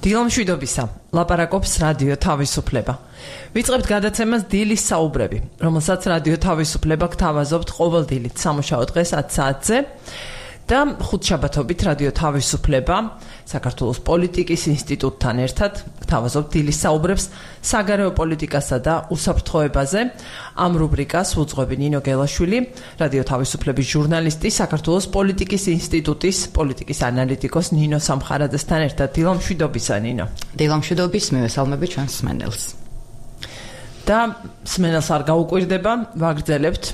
დილამშვიდობისა, ლაპარაკობს რადიო თავისუფლება. ვიწყებთ გადაცემას დილის საუბრები, რომელსაც რადიო თავისუფლება გთავაზობთ ყოველდილით სამუშაო დღეს 10 საათზე და ხუთშაბათობით რადიო თავისუფლება საქართველოს პოლიტიკის ინსტიტუტთან ერთად გთავაზობთ დილის საუბრებს საგარეო პოლიტიკასა და უსაფრთხოებაზე. ამ რუბრიკას უძღვები ნინო გელაშვილი, რადიო თავისუფლების ჟურნალისტი, საქართველოს პოლიტიკის ინსტიტუტის პოლიტიკის ანალიტიკოს ნინო სამხარაძესთან ერთად. დილამშვიდობისა, ნინო. დილამშვიდობის, მივესალმები ჩვენს მსმენელს. და მსმენელს არ გაუკვირდება, ვაგრძელებთ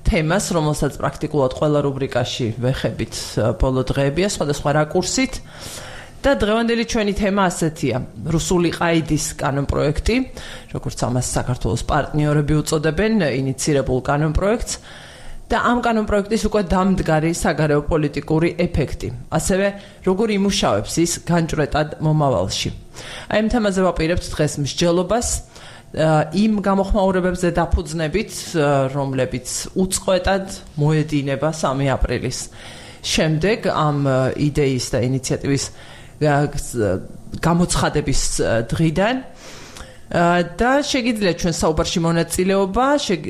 თემას, რომელსაც პრაქტიკულად ყველა რუბრიკაში ვეხებით ბოლო დღეებია, სხვადასხვა რაკურსით. და დღევანდელი ჩვენი თემა ასეთია: რუსული ყაიდის კანონპროექტი, როგორც ამას საქართველოს პარტნიორები უწოდებენ, ინიცირებულ კანონპროექტს და ამ კანონპროექტის უკვე დამდგარი საგარეო პოლიტიკური ეფექტი. ასევე როგორ იმუშავებს ის განჭვრეტად მომავალში. აი ამ თემაზე ვაპირებთ დღეს მსჯელობას იმ გამოხმაურებებზე დაფუძნებით, რომლებიც უწყვეტად მოედინება 3 აპრილის შემდეგ ამ იდეის და ინიციატივის გამოცხადების დღიდან და შეგიძლიათ ჩვენ საუბარში მონაწილეობა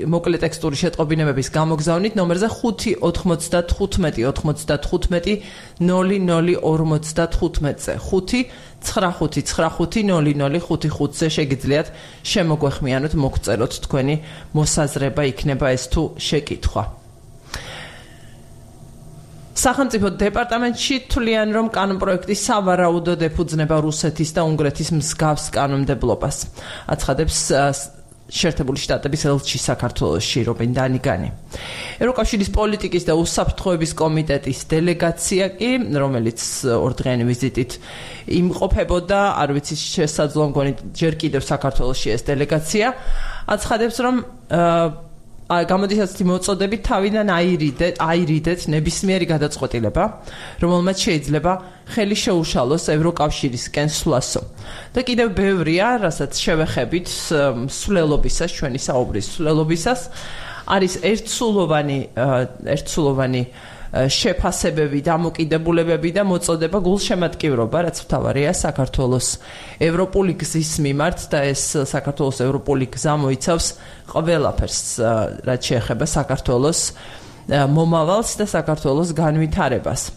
მოკლე ტექსტური შეტყობინებების გამოგზავნით ნომერზე 595-95-00-0055-ზე 5-95-95-00-55-ზე შეგიძლიათ შემოგვეხმიანოთ, მოგწეროთ თქვენი მოსაზრება, იქნება ეს თუ შეკითხვა. სახელმწიფო დეპარტამენტში თვლიან, რომ კანონპროექტი სავარაუდოდ ეფუძნება რუსეთის და უნგრეთის მსგავს კანონმდებლობას. აცხადებს შეერთებული შტატების ელჩი საქართველოში რობენ დანიგანი. ევროკავშირის პოლიტიკის და უსაფრთხოების კომიტეტის დელეგაცია კი, რომელიც ორდღიანი ვიზიტით იმყოფებოდა, არ ვიცი შესაძლოა მგონი ჯერ კიდევ საქართველოში ეს დელეგაცია, აცხადებს, რომ გამოდის ასეთი მოწოდებით თავიდან აირიდეთ ნებისმიერი გადაწყვეტილება, რომელმაც შეიძლება ხელი შეუშალოს ევროკავშირისკენ სვლასო. და კიდევ ბევრია, რასაც შევეხებით სვლელობისას, ჩვენი საუბრის სვლელობისას, არის ერთსულოვანი შეფასებები, დამოკიდებულებები და მოწოდება გულშემატკივრობა, რაც მთავარია საქართველოს ევროპული გზის მიმართ და ეს საქართველოს ევროპული გზა მოიცავს ყველაფერს, რაც შეეხება საქართველოს მომავალს და საქართველოს განვითარებას.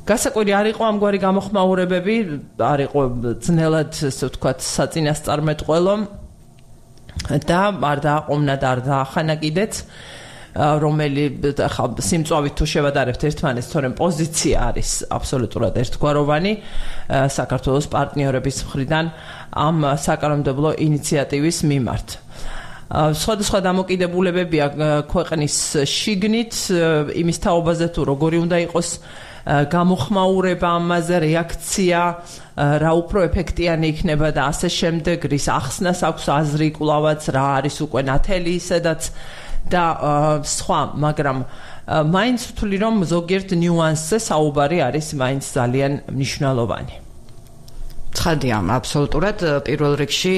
გასაკვირი არ იყო ამგვარი გამოხმაურებები, არ იყო ძნელად, ესე ვთქვათ, საწინასწარმეტყველო და არ დააყომნა და არ დაახანა კიდეც, რომელი სიმწვავით თუ შევადარებთ ერთმანეთს, თორემ პოზიცია არის აბსოლუტურად ერთგვაროვანი საქართველოს პარტნიორების მხრიდან ამ საკანონმდებლო ინიციატივის მიმართ. სხვადასხვა დამოკიდებულებებია ქვეყნის შიგნით, იმის თაობაზე თუ როგორი უნდა იყოს გამოხმაურება ამაზე, რეაქცია, რა უფრო ეფექტიანი იქნება და ასე შემდეგ, რის ახსნას აქვს აზრი კვლავაც, რა არის უკვე ნათელი ისედაც და სხვა, მაგრამ მაინც ვთვლი, რომ ზოგიერთ ნიუანსზე საუბარი არის მაინც ძალიან მნიშვნელოვანი. ცხადია, აბსოლუტურად პირველ რიგში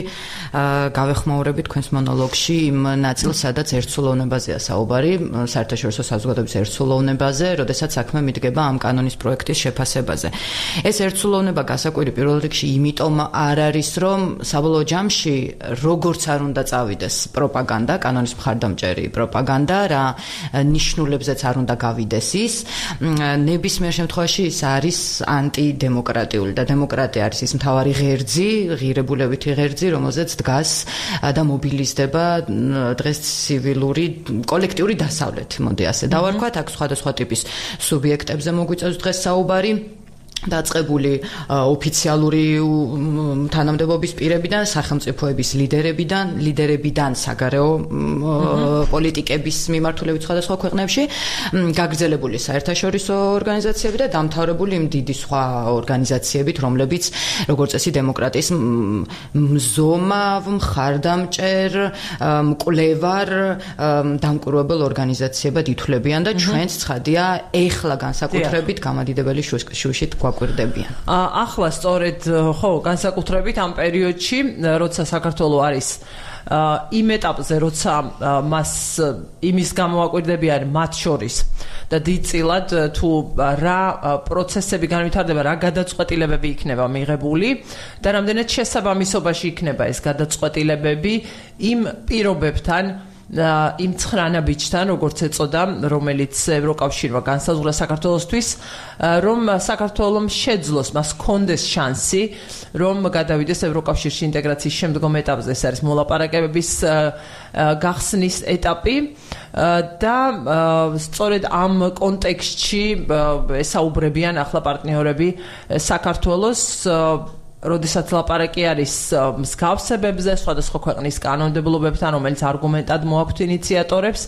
გავეხმაურებით თქვენს მონოლოგში იმ ნაწილს, სადაც ერთსულოვნებაზეა საუბარი, საერთაშორისო საზოგადოების ერთსულოვნებაზე, როდესაც საქმე მიდგება ამ კანონის პროექტის შეფასებაზე. ეს ერთსულოვნება გასაკვირი პირველ რიგში იმიტომ არ არის, რომ საბოლოო ჯამში როგორც არ უნდა წავიდეს პროპაგანდა, კანონის მხარდამჭერი პროპაგანდა, რა ნიშნულებზეც არ უნდა გავიდეს ის, ნებისმიერ შემთხვევაში ის არის ანტიდემოკრატიული და დემოკრატია არის ის მთავარი ღერძი, ღირებულებითი ღერძი, რომელზეც დგას და მობილიზდება დღეს ცივილური კოლექტიური დასავლეთი, მოდი ასე დავარქვათ, აქ სხვადასხვა ტიპის სუბიექტებზე მოგვიწევს დღეს საუბარი. დაწყებული ოფიციალური თანამდებობის პირებიდან, სახელმწიფოების ლიდერებიდან საგარეო პოლიტიკების მიმართულებით სხვადასხვა ქვეყნებში, გაგრძელებული საერთაშორისო ორგანიზაციები და დამთავრებული იმ დიდი სხვა ორგანიზაციებით, რომლებიც როგორც წესი დემოკრატიის მზომავ, მხარდამჭერ, მკვლევარ, დამკვირვებელ ორგანიზაციებად ითვლებიან და ჩვენც ცხადია ეხლა განსაკუთრებით გამადიდებელი შუშით გაგვაკვირდებიან. ახლა სწორედ ხო განსაკუთრებით ამ პერიოდში, როცა საქართველოს არის იმ ეტაპზე, როცა მას იმის გამოაკვირდებიან მათ შორის და დიდწილად თუ რა პროცესები განვითარდება, რა გადაწყვეტილებები იქნება მიღებული და რამდენად შესაბამისობაში იქნება ეს გადაწყვეტილებები იმ პირობებთან იმ ცხრანაბიჯთან, როგორც ეწოდა, რომელიც ევროკავშირმა განსაზღვრა საქართველოსთვის, რომ საქართველოს შეძლოს, მას კონდეს შანსი, რომ გადავიდეს ევროკავშირში ინტეგრაციის შემდგომ ეტაპზე, ეს არის მოლაპარაკებების გახსნის ეტაპი და სწორედ ამ კონტექსტში ესაუბრებიან ახლა პარტნიორები საქართველოს როდესაც ლაპარაკი არის მსგავსებებზე, სხვადასხვა ქვეყნის კანონმდებლობებთან, რომელიც არგუმენტად მოაქვთ ინიციატორებს,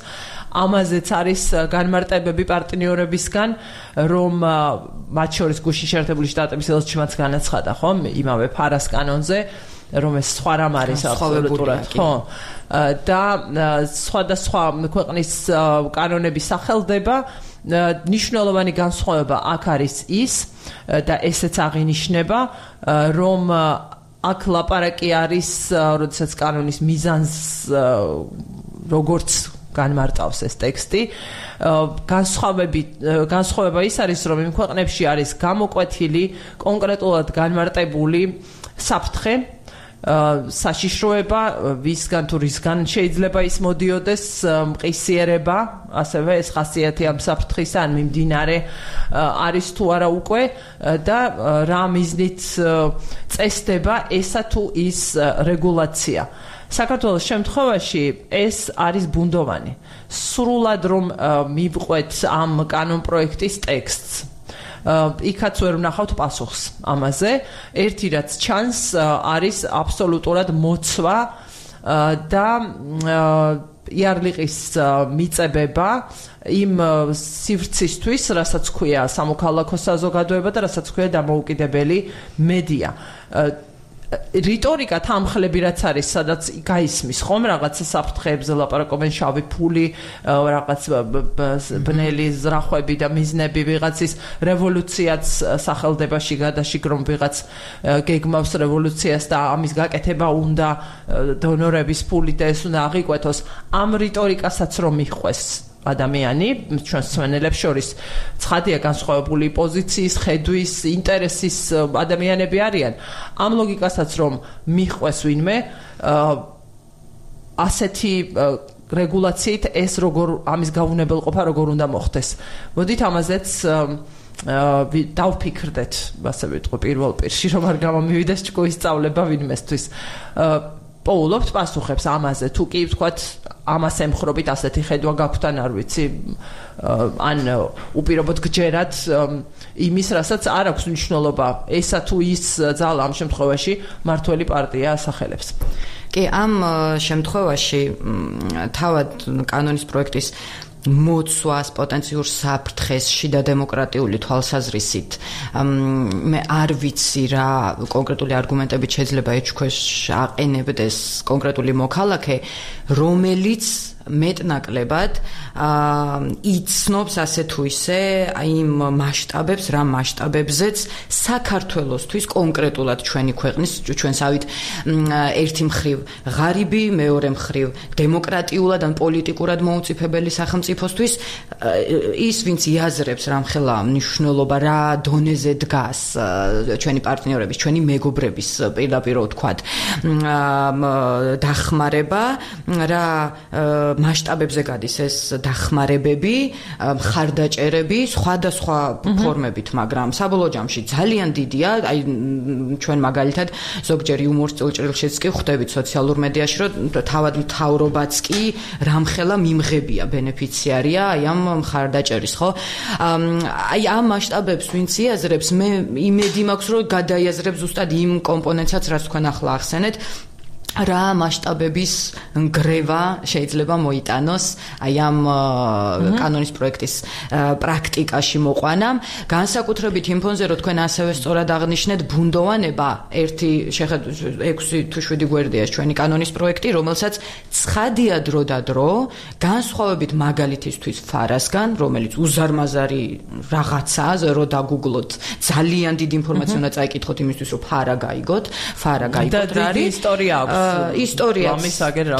ამაზეც არის განმარტებები პარტნიორებისგან, რომ მათ შორის გუშინ შეერთებული შტატების ელჩიმაც განაცხადა, ხო, იმავე ფარას კანონზე, რომ ეს სხვა რამ არის აბსოლუტურად, ხო. და სხვადასხვა ქვეყნის კანონები სახელდება ნიშნულოვანი განსხვავება აქ არის ის და ესეც აღინიშნება, რომ აქ ლაპარაკი არის, როდესაც კანონის მიზანს როგორც განმარტავს ეს ტექსტი, განსხვავება ის არის, რომ იმ ქვეყნებში არის გამოკვეთილი კონკრეტულად განმარტებული საფრთხე, საშიშროება, ვისგან თუ რისგან შეიძლება ის მოდიოდეს, მყისიერება, ასევე ეს ხასიათი ამ საფრთხისა ან მიმდინარე არის თუ არა უკვე და რა მიზნით წესდება ესა თუ ის რეგულაცია. საქართველოს შემთხვევაში ეს არის ბუნდოვანი. სრულად რომ მივყვეთ ამ კანონპროექტის ტექსტს, იქაც ვერ ვნახავთ პასუხს ამაზე. ერთი რაც ჩანს არის აბსოლუტურად მოცვა და იარლიყის მიწებება იმ სივრცისთვის, რასაც ქვია სამოქალაქო საზოგადოება და რასაც ქვია დამოუკიდებელი მედია. რიტორიკა თამხლები რაც არის, სადაც გაისმის ხომ რაღაცა საფრთხეებზე ლაპარაკობენ, შავი ფული, რაღაც ბნელი ზრახვები და მიზნები, ვიღაცის რევოლუციაც სახელდებაში გადაშიგრომ ვიღაც გეგმავს რევოლუციას და ამის გაკეთება უნდა დონორების ფული და ეს უნდა აღიკვეთოს. ამ რიტორიკასაც რომ მიხვეს ადამიანი, ჩვენს მსმენელებს შორის ცხადია განსხვავებული პოზიციის, ხედვის, ინტერესის ადამიანები არიან. ამ ლოგიკასაც რომ მიხვეს ვინმე, ასეთი რეგულაციით ეს როგორ ამის გაუნებელყოფა როგორ უნდა მოხდეს. მოდით ამაზეც დავფიქრდეთ, ასე ვიტყვი პირველ პირში, რომ არ გამომივიდეს ჭკუის სწავლება ვინმესთვის. პოულობთ პასუხებს ამაზე, თუ კი ვთქვათ ამას ემხრობით ასეთი ხედვა გაქვთ ან არ ვიცი, ან უპირობოდ გჯერათ იმის, რასაც არ აქვს მნიშვნელობა ესა თუ ის ძალა ამ შემთხვევაში მართველი პარტია ასახელებს. კი, ამ შემთხვევაში თავად კანონის პროექტის მოცვას, პოტენციურ საფრთხეს, შიდა დემოკრატიული თვალსაზრისით მე არ ვიცი რა კონკრეტული არგუმენტებით შეიძლება ეჩქვეს აყენებდეს კონკრეტული მოქალაქე, რომელიც მეტნაკლებად იცნობს ასე თუ ისე იმ მასშტაბებს, რა მასშტაბებზეც საქართველოსთვის კონკრეტულად ჩვენი ქვეყნის, ჩვენსავით ერთი მხრივ ღარიბი, მეორე მხრივ დემოკრატიულად ან პოლიტიკურად მოუწიფებელი სახელმწიფოსთვის ის, ვინც იაზრებს რამხელა მნიშვნელობა, რა დონეზე დგას ჩვენი პარტნიორების, ჩვენი მეგობრების პირდაპირ ვთქვათ დახმარება, რა მასშტაბებზე გადის ეს დახმარებები, მხარდაჭერები, სხვადასხვა ფორმებით, მაგრამ საბოლოო ჯამში ძალიან დიდია, აი ჩვენ მაგალითად ზოგჯერ იუმორის წილჭრილშიც კი ხვდებით სოციალურ მედიაში, რომ თავად მთავრობაც კი რამხელა მიმღებია, ბენეფიციარია აი ამ მხარდაჭერის, ხო? აი ამ მასშტაბებს ვინც იაზრებს, მე იმედი მაქვს, რომ გადაიაზრებს ზუსტად იმ კომპონენტსაც, რაც თქვენ ახლა ახსენეთ. რა მასშტაბების ნგრევა შეიძლება მოიტანოს აი ამ კანონის პროექტის პრაქტიკაში მოყვანამ. განსაკუთრებით იმ ფონზე, რომ თქვენ ასევე სწორად აღნიშნეთ, ბუნდოვანება 6 თუ 7 გვერდია ჩვენი კანონის პროექტი, რომელსაც ცხადია დრო და დრო, განსხვავებით მაგალითისთვის ფარასგან, რომელიც უზარმაზარი რაღაცაა, რომ დაგუგლოთ, ძალიან დიდი ინფორმაცია უნდა წაიკითხოთ იმისთვის, რომ ფარა გაიგოთ რა არის. ისტორია აქვს. ისტორია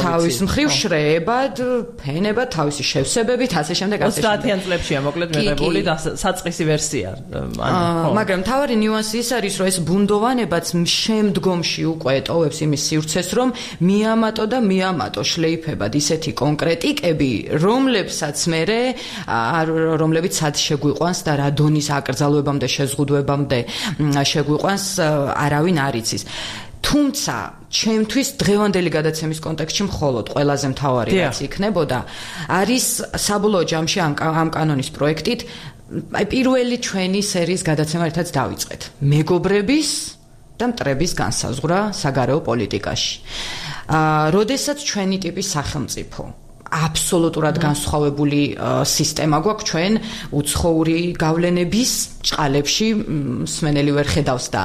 თავის მხრივ შრეებად, ფენებად, თავისი შევსებებით, ასე შემდეგ. 30-იან წლებშია მოკლედ მიღებული და საწყისი ვერსია. მაგრამ თავარი ნიუანსი ის არის, რომ ეს ბუნდოვანებაც შემდგომში უკვე ტოვებს იმის სივრცეს, რომ მიამატო შლეიფებად ისეთი კონკრეტიკები, რომლებსაც რომლებიც სად შეგვიყვანს და რა დონის აკრძალვებამდე, შეზღუდვებამდე შეგვიყვანს, არავინ არ იცის. თუმცა ჩემთვის დღევანდელი გადაცემის კონტექსტში მხოლოდ ყველაზე მთავარი რაც იქნებოდა არის საბოლოო ჯამში ამ კანონის პროექტით აი პირველი ჩვენი სერიის გადაცემა ერთად დავიწყეთ მეგობრების და მტრების განსაზღვრა საგარეო პოლიტიკაში. როდესაც ჩვენი ტიპის სახელმწიფო აბსოლუტურად განსხვავებული სისტემა გვაქვს ჩვენ უცხოური გავლენების ჭყალებში მსმენელი ვერ ხედავს და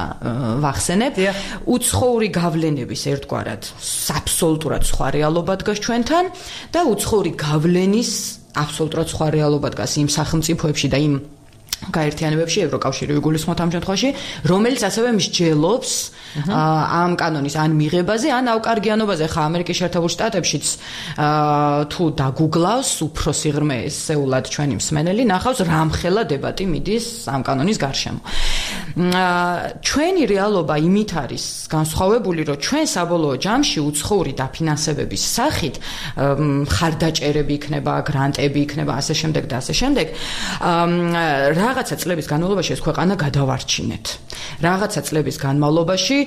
ვახსენებ უცხოური გავლენების ერთგვარად აბსოლუტურად სხვა რეალობა დგას ჩვენთან და უცხოური გავლენის აბსოლუტურად სხვა რეალობა დგას იმ სახელმწიფოებში და იმ გაერთიანებებში ევროკავშირი იგულისხმოთ ამ შემთხვევაში რომელიც ასევე მსჯელობს ამ კანონის ან მიღებაზე ან ავკარგიანობაზე ხა ამერიკის შეერთებულ შტატებშიც თუ დაგუგლავს უფრო სიღრმეესეულად ჩვენი მსმენელი ნახავს რამხელა დებატი მიდის ამ კანონის გარშემო ჩვენი რეალობა იმით არის განსხვავებული რომ ჩვენ საბოლოო ჯამში უცხოური დაფინანსებების სახით ხარდაჭერები იქნება გრანტები იქნება ასე შემდეგ და ასე შემდეგ რაღაცა წლების განმავლობაში ეს ქვეყანა გადავარჩინეთ. რაღაცა წლების განმავლობაში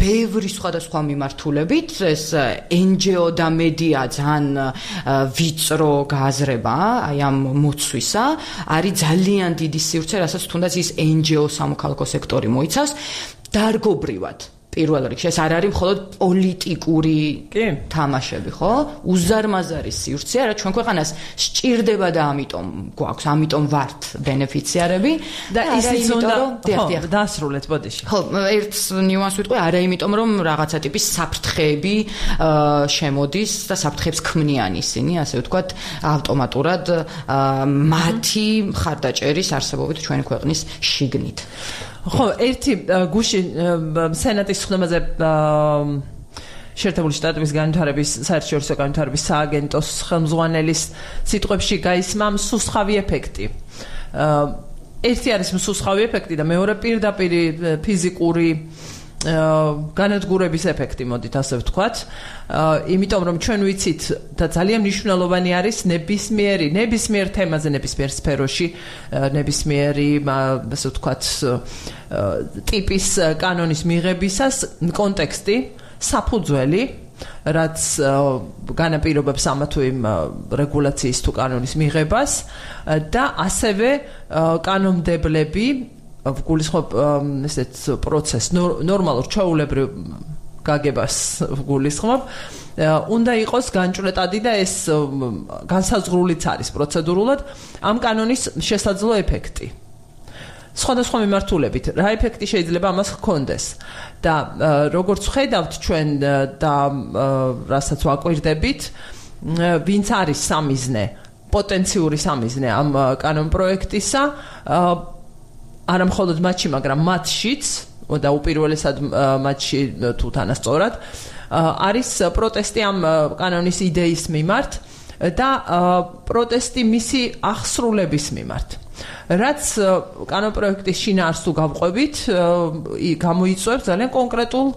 ბევრი სხვადასხვა მიმართულებით ეს NGO და მედია ძალიან ვიწრო გააზრება აი ამ მოცვისა არის ძალიან დიდი სივრცე, რასაც თუნდაც ის NGO სამოქალაქო სექტორი მოიცავს დარგობრივად. პირველ რიგში ეს არ არის მხოლოდ პოლიტიკური თამაშები, ხო? უზარმაზარი სივრცე, რა ჩვენ ქვეყანას სჭირდება და ამიტომ ვართ ბენეფიციარები და ისიც უნდა დაასრულეთ ბოდიში. ხო, ერთ ნიუანსს ვიტყვი, არა იმიტომ რომ რაღაცა ტიპის საფრთხეები შემოდის და საფრთხეებს ქმნიან ისინი, ასე ვთქვათ, ავტომატურად მათი მხარდაჭერის არსებობით ჩვენი ქვეყნის შიგნით. ხო, ერთი გუში სენატის ხდომაზე შეერთებული შტატების განვითარების საერთაშორისო განვითარების სააგენტოს ხელმძღვანელის სიტყვებში გაისმა მსუსხავი ეფექტი. ერთი არის მსუსხავი ეფექტი და მეორე პირდაპირ ფიზიკური განადგურების ეფექტი, მოდით ასე ვთქვათ. იმიტომ რომ ჩვენ ვიცით და ძალიან მნიშვნელოვანი არის ნებისმიერ თემაზე, ნებისმიერ სფეროში, ნებისმიერი, ასე ვთქვათ, ტიპის კანონის მიღებისას კონტექსტი, საფუძველი, რაც განაპირობებს ამა თუ იმ რეგულაციის თუ კანონის მიღებას და ასევე კანონმდებლები გულისხმობ ესეთ პროცესს ნორმალურ ჩვეულებრივ გაგებას გულისხმობ უნდა იყოს განჭვრეტადი და ეს განსაზღვრულიც არის პროცედურულად ამ კანონის შესაძლო ეფექტი. სხვადასხვა მიმართულებით რა ეფექტი შეიძლება ამას ჰქონდეს და როგორც ხედავთ ჩვენ და რასაც ვაკვირდებით ვინც არის სამიზნე პოტენციური სამიზნე ამ კანონ პროექტისა არა მხოლოდ მათში, მაგრამ მათშიც და უპირველესად მათში თუ თანასწორად არის პროტესტი ამ კანონის იდეის მიმართ და პროტესტი მისი აღსრულების მიმართ. რაც კანონპროექტის შინაარსს თუ გავყვებით, გამოიწვევს ძალიან კონკრეტულ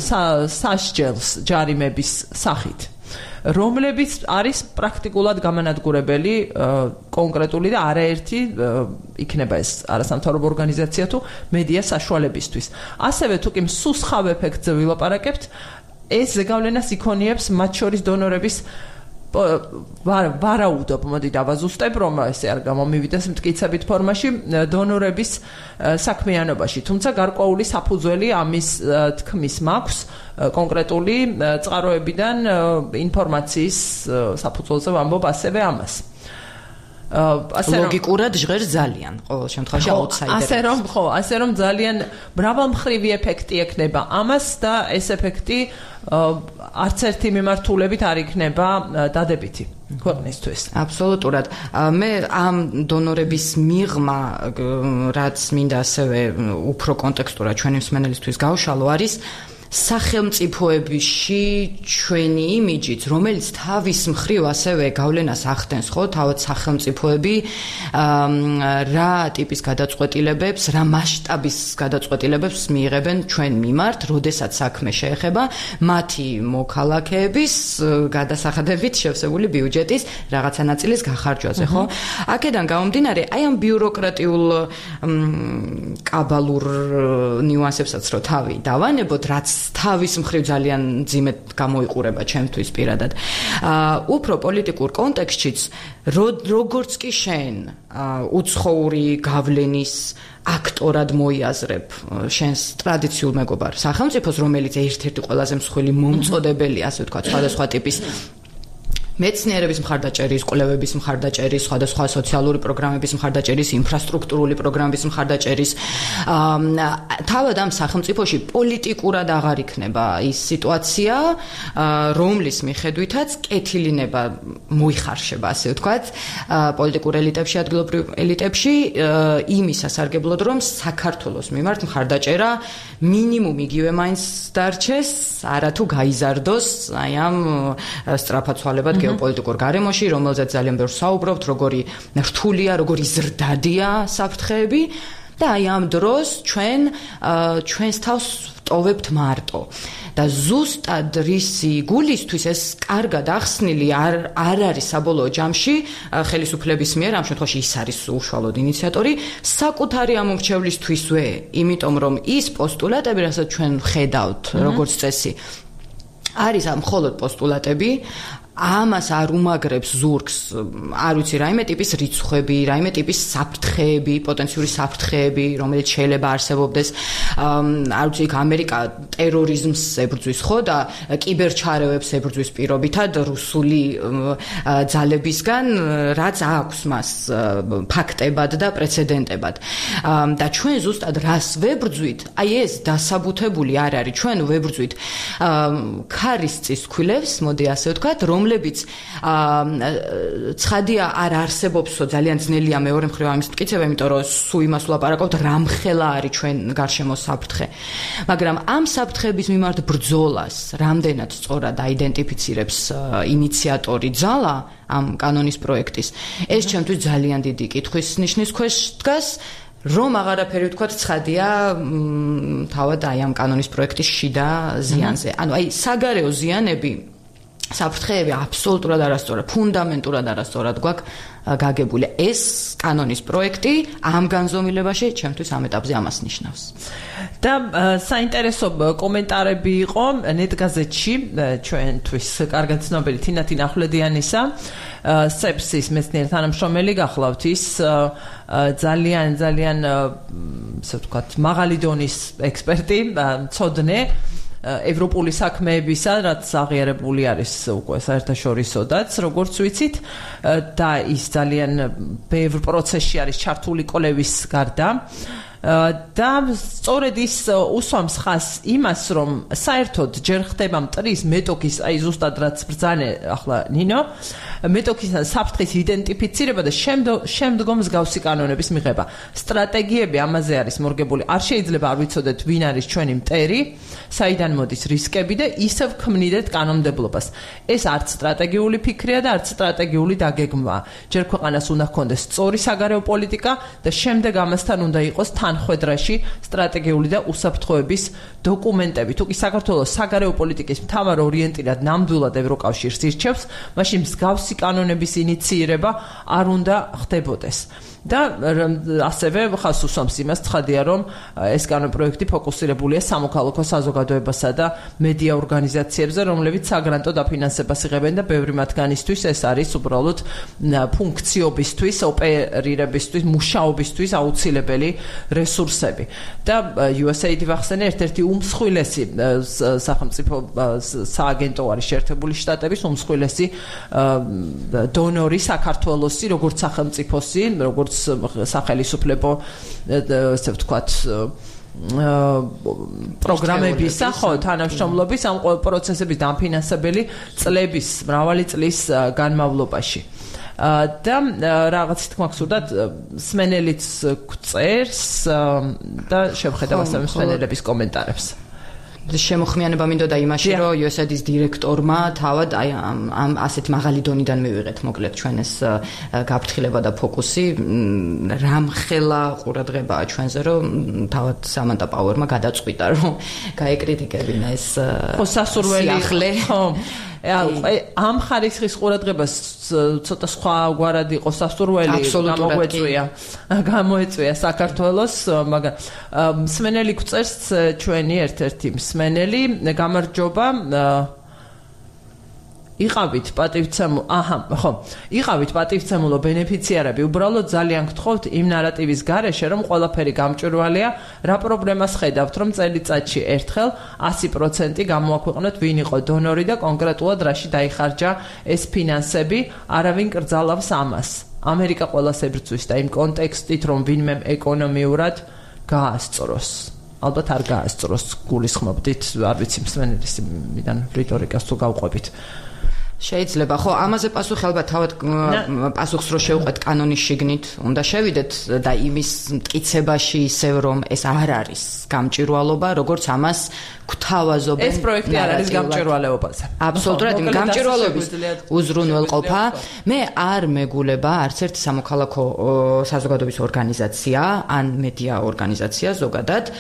სასჯელს ჯარიმების სახით. რომლებიც არის პრაქტიკულად გამანადგურებელი კონკრეტული და არაერთი იქნება ეს არასამთავრობო ორგანიზაცია თუ მედია საშუალებისთვის. ასევე თუ კი მსუსხავ ეფექტზე ვილაპარაკებთ, ეს ზეგავლენას იქონიებს მათ შორის დონორების ვარაუდობ, მოდი დავაზუსტებ, რომ ესე არ გამომივიდეს მტკიცებით ფორმაში დონორების საქმიანობაში. თუმცა გარკვეული საფუძველი ამის თქმის მაქვს კონკრეტული წყაროებიდან ინფორმაციის საფუძველზე ვამბობ ასევე ამას. ლოგიკურად ჟღერს ძალიან ყოველ შემთხვევაში აუტსაიდერი. ასე რომ ძალიან მრავალმხრივი ეფექტი ექნება ამას და ეს ეფექტი არც ერთი მიმართულებით არ იქნება დადებითი ქვეყნისთვის. აბსოლუტურად. მე ამ დონორების მიღმა, რაც მინდა ასევე უფრო კონტექსტურად ჩვენი მსმენელისთვის გავშალო, არის სახელმწიფოებში ჩვენი იმიჯიც, რომელიც თავის მხრივ ასევე გავლენას ახდენს, ხო, თავად სახელმწიფოები რა ტიპის გადაწყვეტილებებს, რა მასშტაბის გადაწყვეტილებებს მიიღებენ ჩვენ მიმართ, როდესაც საქმე შეეხება მათი მოქალაქეების გადასახადებით შევსებული ბიუჯეტის რაღაცა ნაწილის გახარჯვაზე, ხო? აქედან გამომდინარე, აი ამ ბიუროკრატიულ კაბალურ ნიუანსებსაც რო თავი დავანებოთ, რაც თავის მხრივ ძალიან ძიმედ გამოიყურება ჩემთვის პირადად. უფრო პოლიტიკურ კონტექსტშიც, როგორც კი შენ უცხოური გავლენის აქტორად მოიაზრებ შენს ტრადიციულ მეგობარ სახელმწიფოს, რომელიც ერთ-ერთი ყველაზე მსხვილი მომწოდებელი, ასე ვთქვათ, სხვადასხვა ტიპის მეცნიერების მხარდაჭერის, კვლევების მხარდაჭერის, სხვადასხვა სოციალური პროგრამების მხარდაჭერის, ინფრასტრუქტურული პროგრამების მხარდაჭერის, თავად ამ სახელმწიფოში პოლიტიკურად აღარ იქნება ის სიტუაცია, რომლის მიხედვითაც კეთილინება მოიხარშება, ასე ვთქვათ, პოლიტიკურ ელიტებში, ადგილობრივ ელიტებში, იმის სასარგებლოდ, რომ საქართველოს მიმართ მხარდაჭერა მინიმუმ იგივე მაინც დარჩეს, არათუ გაიზარდოს აი ამ სწრაფაცვალებად გეოპოლიტიკურ გარემოში, რომელზეც ძალიან ბევრს საუბრობთ, როგორი რთულია, როგორი ზრდადია საფრთხეები და აი ამ დროს ჩვენს თავს ვტოვებთ მარტო. და ზუსტად რისი გულისთვის ეს კარგად ახსნილი არ არის საბოლოო ჯამში ხელისუფლების მიერ, ამ შემთხვევაში ის არის უშუალოდ ინიციატორი, საკუთარი ამომრჩევლისთვისვე, იმიტომ რომ ის პოსტულატები, რასაც ჩვენ ხედავთ როგორც წესი, არის მხოლოდ პოსტულატები, ამას არ უმაგრებს ზურგს, არ ვიცი, რაიმე ტიპის რიცხვები, რაიმე ტიპის საფრთხეები, პოტენციური საფრთხეები, რომელიც შეიძლება არსებობდეს, არ ვიცი, ამერიკა ტერორიზმს ებრძვის, ხო, და კიბერჩარევებს ებრძვის პირობითად რუსული ძალებისგან, რაც აქვს მას ფაქტებად და პრეცედენტებად. და ჩვენ ზუსტად რას ვებრძვით? აი ეს დასაბუთებული არ არის. ჩვენ ვებრძვით ქარისწის ქვილებს, მოდი ასე ვთქვათ, რომლებიც ცხადია არ არსებობსო, ძალიან ძნელია მეორე მხრივ ამის მტკიცება, იმიტომ რომ სულ იმას ვლაპარაკობთ, რამხელა არის ჩვენ გარშემო საფრთხე. მაგრამ ამ საფრთხების მიმართ ბრძოლას რამდენად სწორად აიდენტიფიცირებს ინიციატორი ძალა ამ კანონის პროექტის, ეს ჩემთვის ძალიან დიდი კითხვის ნიშნის ქვეშ დგას. რომ აღარაფერი ვთქვათ, ცხადია თავად აი ამ კანონის პროექტის შიდა ზიანზე. ანუ აი საგარეო ზიანები, საფრთხეები აბსოლუტურად არასწორად, ფუნდამენტურად არასწორად გვაქვს გაგებული. ეს კანონის პროექტი ამ განზომილებაში ჩემთვის ამ ეტაპზე ამას ნიშნავს. და საინტერესო კომენტარები იყო ნეტგაზეთში ჩვენთვის კარგად ცნობილი თინათინ ახვლედიანისა, სეპსის მეცნიერ თანამშრომელი გახლავთ, ის ძალიან ასე ვთქვათ, მაღალი დონის ექსპერტი, მცოდნე ევროპული საქმეებისა, რაც აღიარებული არის უკვე საერთაშორისოდაც, როგორც ვიცით, და ის ძალიან ბევრ პროცესში არის ჩართული კვლევის გარდა. და სწორედ ის უსვამს ხაზს იმას, რომ საერთოდ ჯერ ხდება მტრის მეტოქის, აი ზუსტად რაც ბრძანე ახლა ნინო, მეტოქის საფრთხის იდენტიფიცირება და შემდგომ მსგავსი კანონების მიღება. სტრატეგიები ამაზე არის მორგებული. არ შეიძლება არ ვიცოდეთ ვინ არის ჩვენი მტერი, საიდან მოდის რისკები და ისევ ქმნიდეთ კანონმდებლობას. ეს არც სტრატეგიული ფიქრია და არც სტრატეგიული დაგეგმვა. ჯერ ქვეყანას უნდა ჰქონდეს სწორი საგარეო პოლიტიკა და შემდეგ ამასთან უნდა იყოს თანხვედრაში სტრატეგიული და უსაფრთხოების დოკუმენტები. თუ კი საქართველოს საგარეო პოლიტიკის მთავარ ორიენტირად ნამდვილად ევროკავშირს ირჩევს, მაშინ მსგავსი კანონების ინიციირება არ უნდა ხდებოდეს. და ასევე ხას უსვამს იმას ცხადია რომ ეს კანონპროექტი ფოკუსირებულია სამოქალაქო საზოგადოებასა და მედია ორგანიზაციებზე რომლებიც საგრანტო დაფინანსებას იღებენ და ბევრი მათგანისთვის ეს არის უბრალოდ ფუნქციობისთვის ოპერირებისთვის მუშაობისთვის აუცილებელი რესურსები და USAID ვახსენე ერთ-ერთი უმსხვილესი სახელმწიფო სააგენტო არის შეერთებული შტატების უმსხვილესი დონორი საქართველოსი როგორც სახელმწიფოსი როგორც სახელმწიფო ესე ვთქვათ პროგრამებისა ხო თანამშრომლობის ამ პროცესების დამფინანსებელი წლების მრავალი წლის განმავლობაში და რაღაც თქმა გსურდათ სმენელიც გვწერს და შევხედავ ასევე სმენელების კომენტარებს შემოხმიანება მინდოდა იმაში, რომ USAID-ის დირექტორმა თავად აი ამ ასეთ მაღალი დონიდან მივიღეთ მოკლედ ჩვენ ეს გაფრთხილება და ფოკუსი რამხელა ყურადღებაა ჩვენზე, რომ თავად სამანტა პაუერმა გადაწყვიტა, რომ გაეკრიტიკებინა ეს სიახლე. ხო ამ ხარისხის ყურადღებას ცოტა სხვაგვარად იყო სასურველი გამოეწვია საქართველოს მაგრამ მსმენელი გვწერს ჩვენი ერთ-ერთი მსმენელი გამარჯობა იყავით პატივცემულო ბენეფიციარები უბრალოდ ძალიან გთხოვთ იმ ნარატივის გარეშე რომ ყველაფერი გამჭვირვალეა რა პრობლემას ხედავთ რომ წელიწადში ერთხელ 100% გამოაქვეყნოთ ვინ იყო დონორი და კონკრეტულად რაში დაიხარჯა ეს ფინანსები არავინ კრძალავს ამას ამერიკა ყველას ებრძვის და იმ კონტექსტით რომ ვინმე ეკონომიურად გაასწროს ალბათ არ გაასწროს გულისხმობდით არ ვიცი მსმენელის მიდან რიტორიკას თუ გავყვებით შეიძლება ხო ამაზე პასუხი ალბათ თავად პასუხს რო შევყვეთ კანონის შიგნით უნდა შევიდეთ და იმის მტკიცებაში ისევ რომ ეს არ არის გამჭვირვალობა როგორც ამას გვთავაზობენ ეს პროექტი არ არის გამჭვირვალეობაზე აბსოლუტურად იმ გამჭვირვალეობის უზრუნველყოფა მე არ მეგულება არც ერთ სამოქალაქო საზოგადოების ორგანიზაცია ან მედია ორგანიზაცია ზოგადად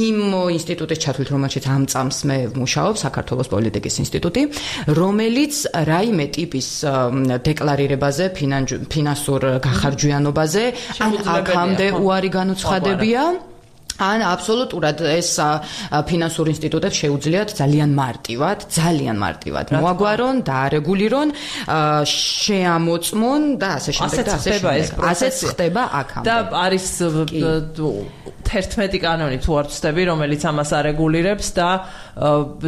იმ ინსტიტუტის ჩათვლით რომელშიც ამ წამს მე ვმუშაობ საქართველოს პოლიტიკის ინსტიტუტი რომელიც რაიმე ტიპის დეკლარირებაზე ფინანსურ გახარჯვიანობაზე ან აქამდე უარი განუცხადებია ან აბსოლუტურად ეს ფინანსურ ინსტიტუტებს შეუძლიათ ძალიან მარტივად მოაგვარონ და არეგულირონ შეამოწმონ და ასე შემდეგ და ასე შემდეგ ასეც ხდება აქამდე და არის 11 კანონი თუ არ ვცდები რომელიც ამას არეგულირებს და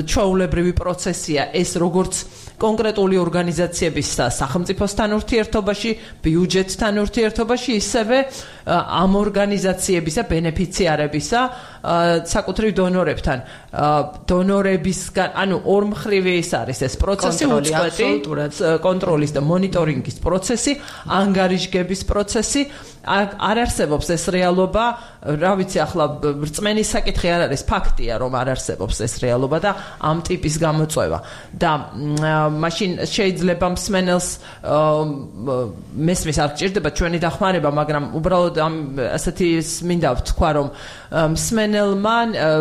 ჩვეულებრივი პროცესია ეს როგორც კონკრეტული ორგანიზაციების სახელმწიფოსთან ურთიერთობაში, ბიუჯეტთან ურთიერთობაში, ისევე ამ ორგანიზაციებისა ბენეფიციარებისა საკუთრივ დონორებთან. დონორებისგან, ანუ ორმხრივი ის არის ეს პროცესი, უწყვეტი კონტროლის და მონიტორინგის პროცესი, ანგარიშგების პროცესი. არ არსებობს ეს რეალობა, რა ვიცი, ახლა რწმენის საკითხი არ არის, ფაქტია, რომ არ არსებობს ეს რეალობა და ამ ტიპის გამოწვევა. და მაშინ შეიძლება მსმენელს მესმის არ გჭირდება ჩვენი დახმარება, მაგრამ უბრალოდ ამ ასეთი მინდა ვთქვა, რომ მსმენელმა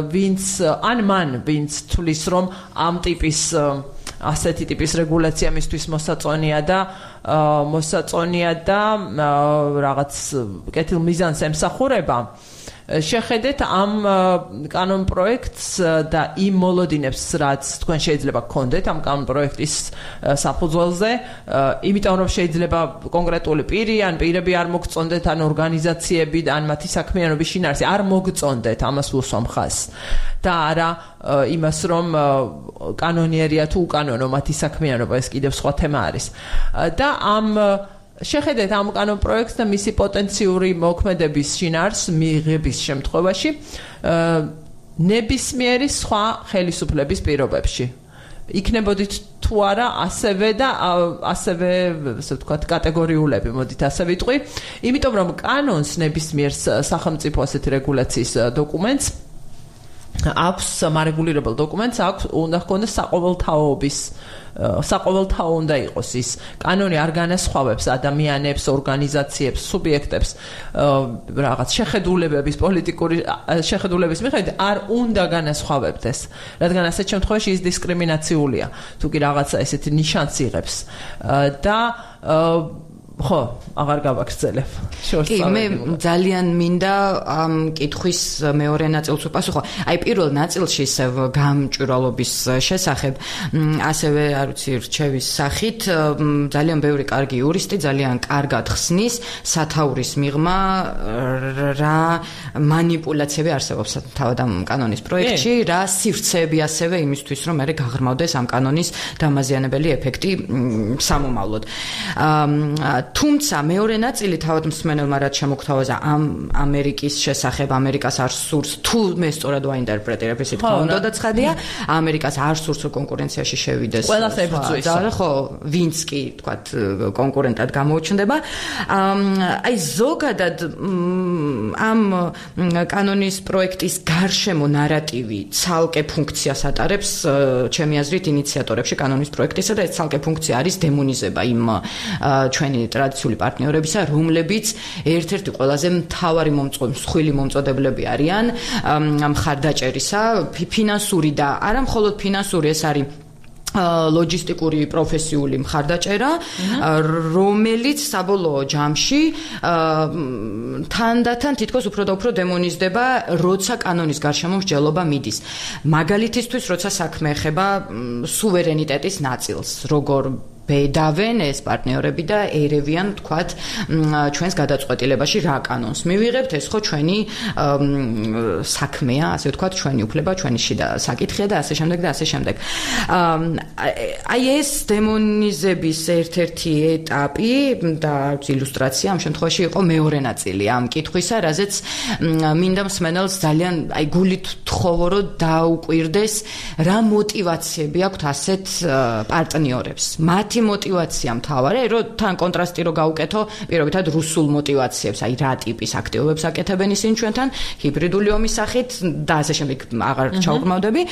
ვინც თulis რომ ამ ტიპის ასეთი ტიპის რეგულაცია მისთვის მოსაწონია და რაღაც კეთილ მიზანს ემსახურება შეხედეთ ამ კანონ პროექტს და იმ მოლოდინებს რაც თქვენ შეიძლება გქონდეთ ამ კანონ პროექტის საფუძველზე იმიტომ რომ შეიძლება კონკრეტული პირი ან პირები არ მოგწონდეთ ან ორგანიზაციები ან მათი საქმიანობის შინაარსი არ მოგწონდეთ ამას უსვამ ხაზს და არა იმას რომ კანონიერია თუ უკანონო მათი საქმიანობა ეს კიდევ სხვა თემა არის და ამ შეხედეთ ამ კანონ პროექტს და მისი პოტენციური მოქმედების შინაარსს მიღების შემთხვევაში ნებისმიერი სხვა ხელისუფლების პირობებში. იქნებოდით თუ არა ასევე ასე ვთქვათ კატეგორიულები, მოდით ასე ვიტყვი, იმიტომ რომ კანონს ნებისმიერ სახელმწიფო ასეთი რეგულაციის დოკუმენტს აქვს მარეგულირებელ დოკუმენტს აქვს უნდა ჰქონდეს საყოველთაო უნდა იყოს ის კანონი არ განასხვავებს ადამიანებს, ორგანიზაციებს, სუბიექტებს რაღაც შეხედულებების პოლიტიკური შეხედულების მიხედვით არ უნდა განასხვავებდეს, რადგან ასეთ შემთხვევაში ის დისკრიმინაციულია, თუ კი რაღაცა ესეთი ნიშანს იღებს და ხო, აღარ გავაგრძელებ. კი, მე ძალიან მინდა ამ კითხვის მეორე ნაწილს უპასუხო. აი პირველ ნაწილში გამჭვირვალობის შესახებ, ასევე არ ვიცი, რჩევის სახით, ძალიან ბევრი კარგი იურისტი ძალიან კარგად ხსნის სათაურის მიღმა რა манипуляციები არსებობს თავად ამ კანონის პროექტში, რა სივრცეები ასევე იმისთვის, რომ მე გაღრმავდეს ამ კანონის დამაზიანებელი ეფექტი სამომავლოდ. თუმცა მეორე ნაწილი თავად მსმენელმა რაც შემოგთავაზა ამ ამერიკის შესახებ, ამერიკას არ სურს, თუ მე სწორად ვაინტერპრეტირებ, ისე თქვა უნდა და ცხადია, ამერიკას არ სურს კონკურენციაში შევიდეს. ყველას ებრძვის. ხო, ვინც კი თქვა კონკურენტად გამოუჩნდება. აი ზოგადად ამ კანონის პროექტის გარშემო ნარატივი ცალკე ფუნქციას ატარებს, ჩემი აზრით, ინიციატორებში კანონის პროექტისა და ეს ცალკე ფუნქცია არის დემონიზება იმ ჩვენი ტრადიციული პარტნიორებისა, რომლებიც ერთ-ერთი ყველაზე მთავარი მსხვილი მომწოდებლები არიან მხარდაჭერისა, ფინანსური და არა მხოლოდ ფინანსური, ეს არის ლოჯისტიკური პროფესიული მხარდაჭერა, რომელიც საბოლოო ჯამში თანდათან თითქოს უფრო და უფრო დემონიზდება, როცა კანონის გარშემო მსჯელობა მიდის. მაგალითისთვის, როცა საქმე ეხება სუვერენიტეტის ნაწილს, როგორ ბედავენ ეს პარტნიორები და ერევიან, თქვათ, ჩვენს გადაწყვეტილებაში რა კანონს მივიღებთ, ეს ხო ჩვენი საქმეა, ასე ვთქვათ, ჩვენი უფლება, ჩვენი შიდა საკითხია და ასე შემდეგ და ასე შემდეგ. აი ეს დემონიზების ერთ-ერთი ეტაპი და ილუსტრაცია ამ შემთხვევაში იყო მეორე ნაწილი ამ კითხვისა, რაზეც მინდა მსმენელს ძალიან აი გულით ვთხოვო, რომ დაუკვირდეს რა მოტივაციები აქვთ ასეთ პარტნიორებს. მათი მოტივაცია მთავარი, რომ თან კონტრასტი რო გავუკეთო, პირობითად რუსულ მოტივაციებს, აი რა ტიპის აქტივობებს აკეთებენ ისინი ჩვენთან, ჰიბრიდული ომის სახით და ასე შემდეგ აღარ ჩაუყრმავდები.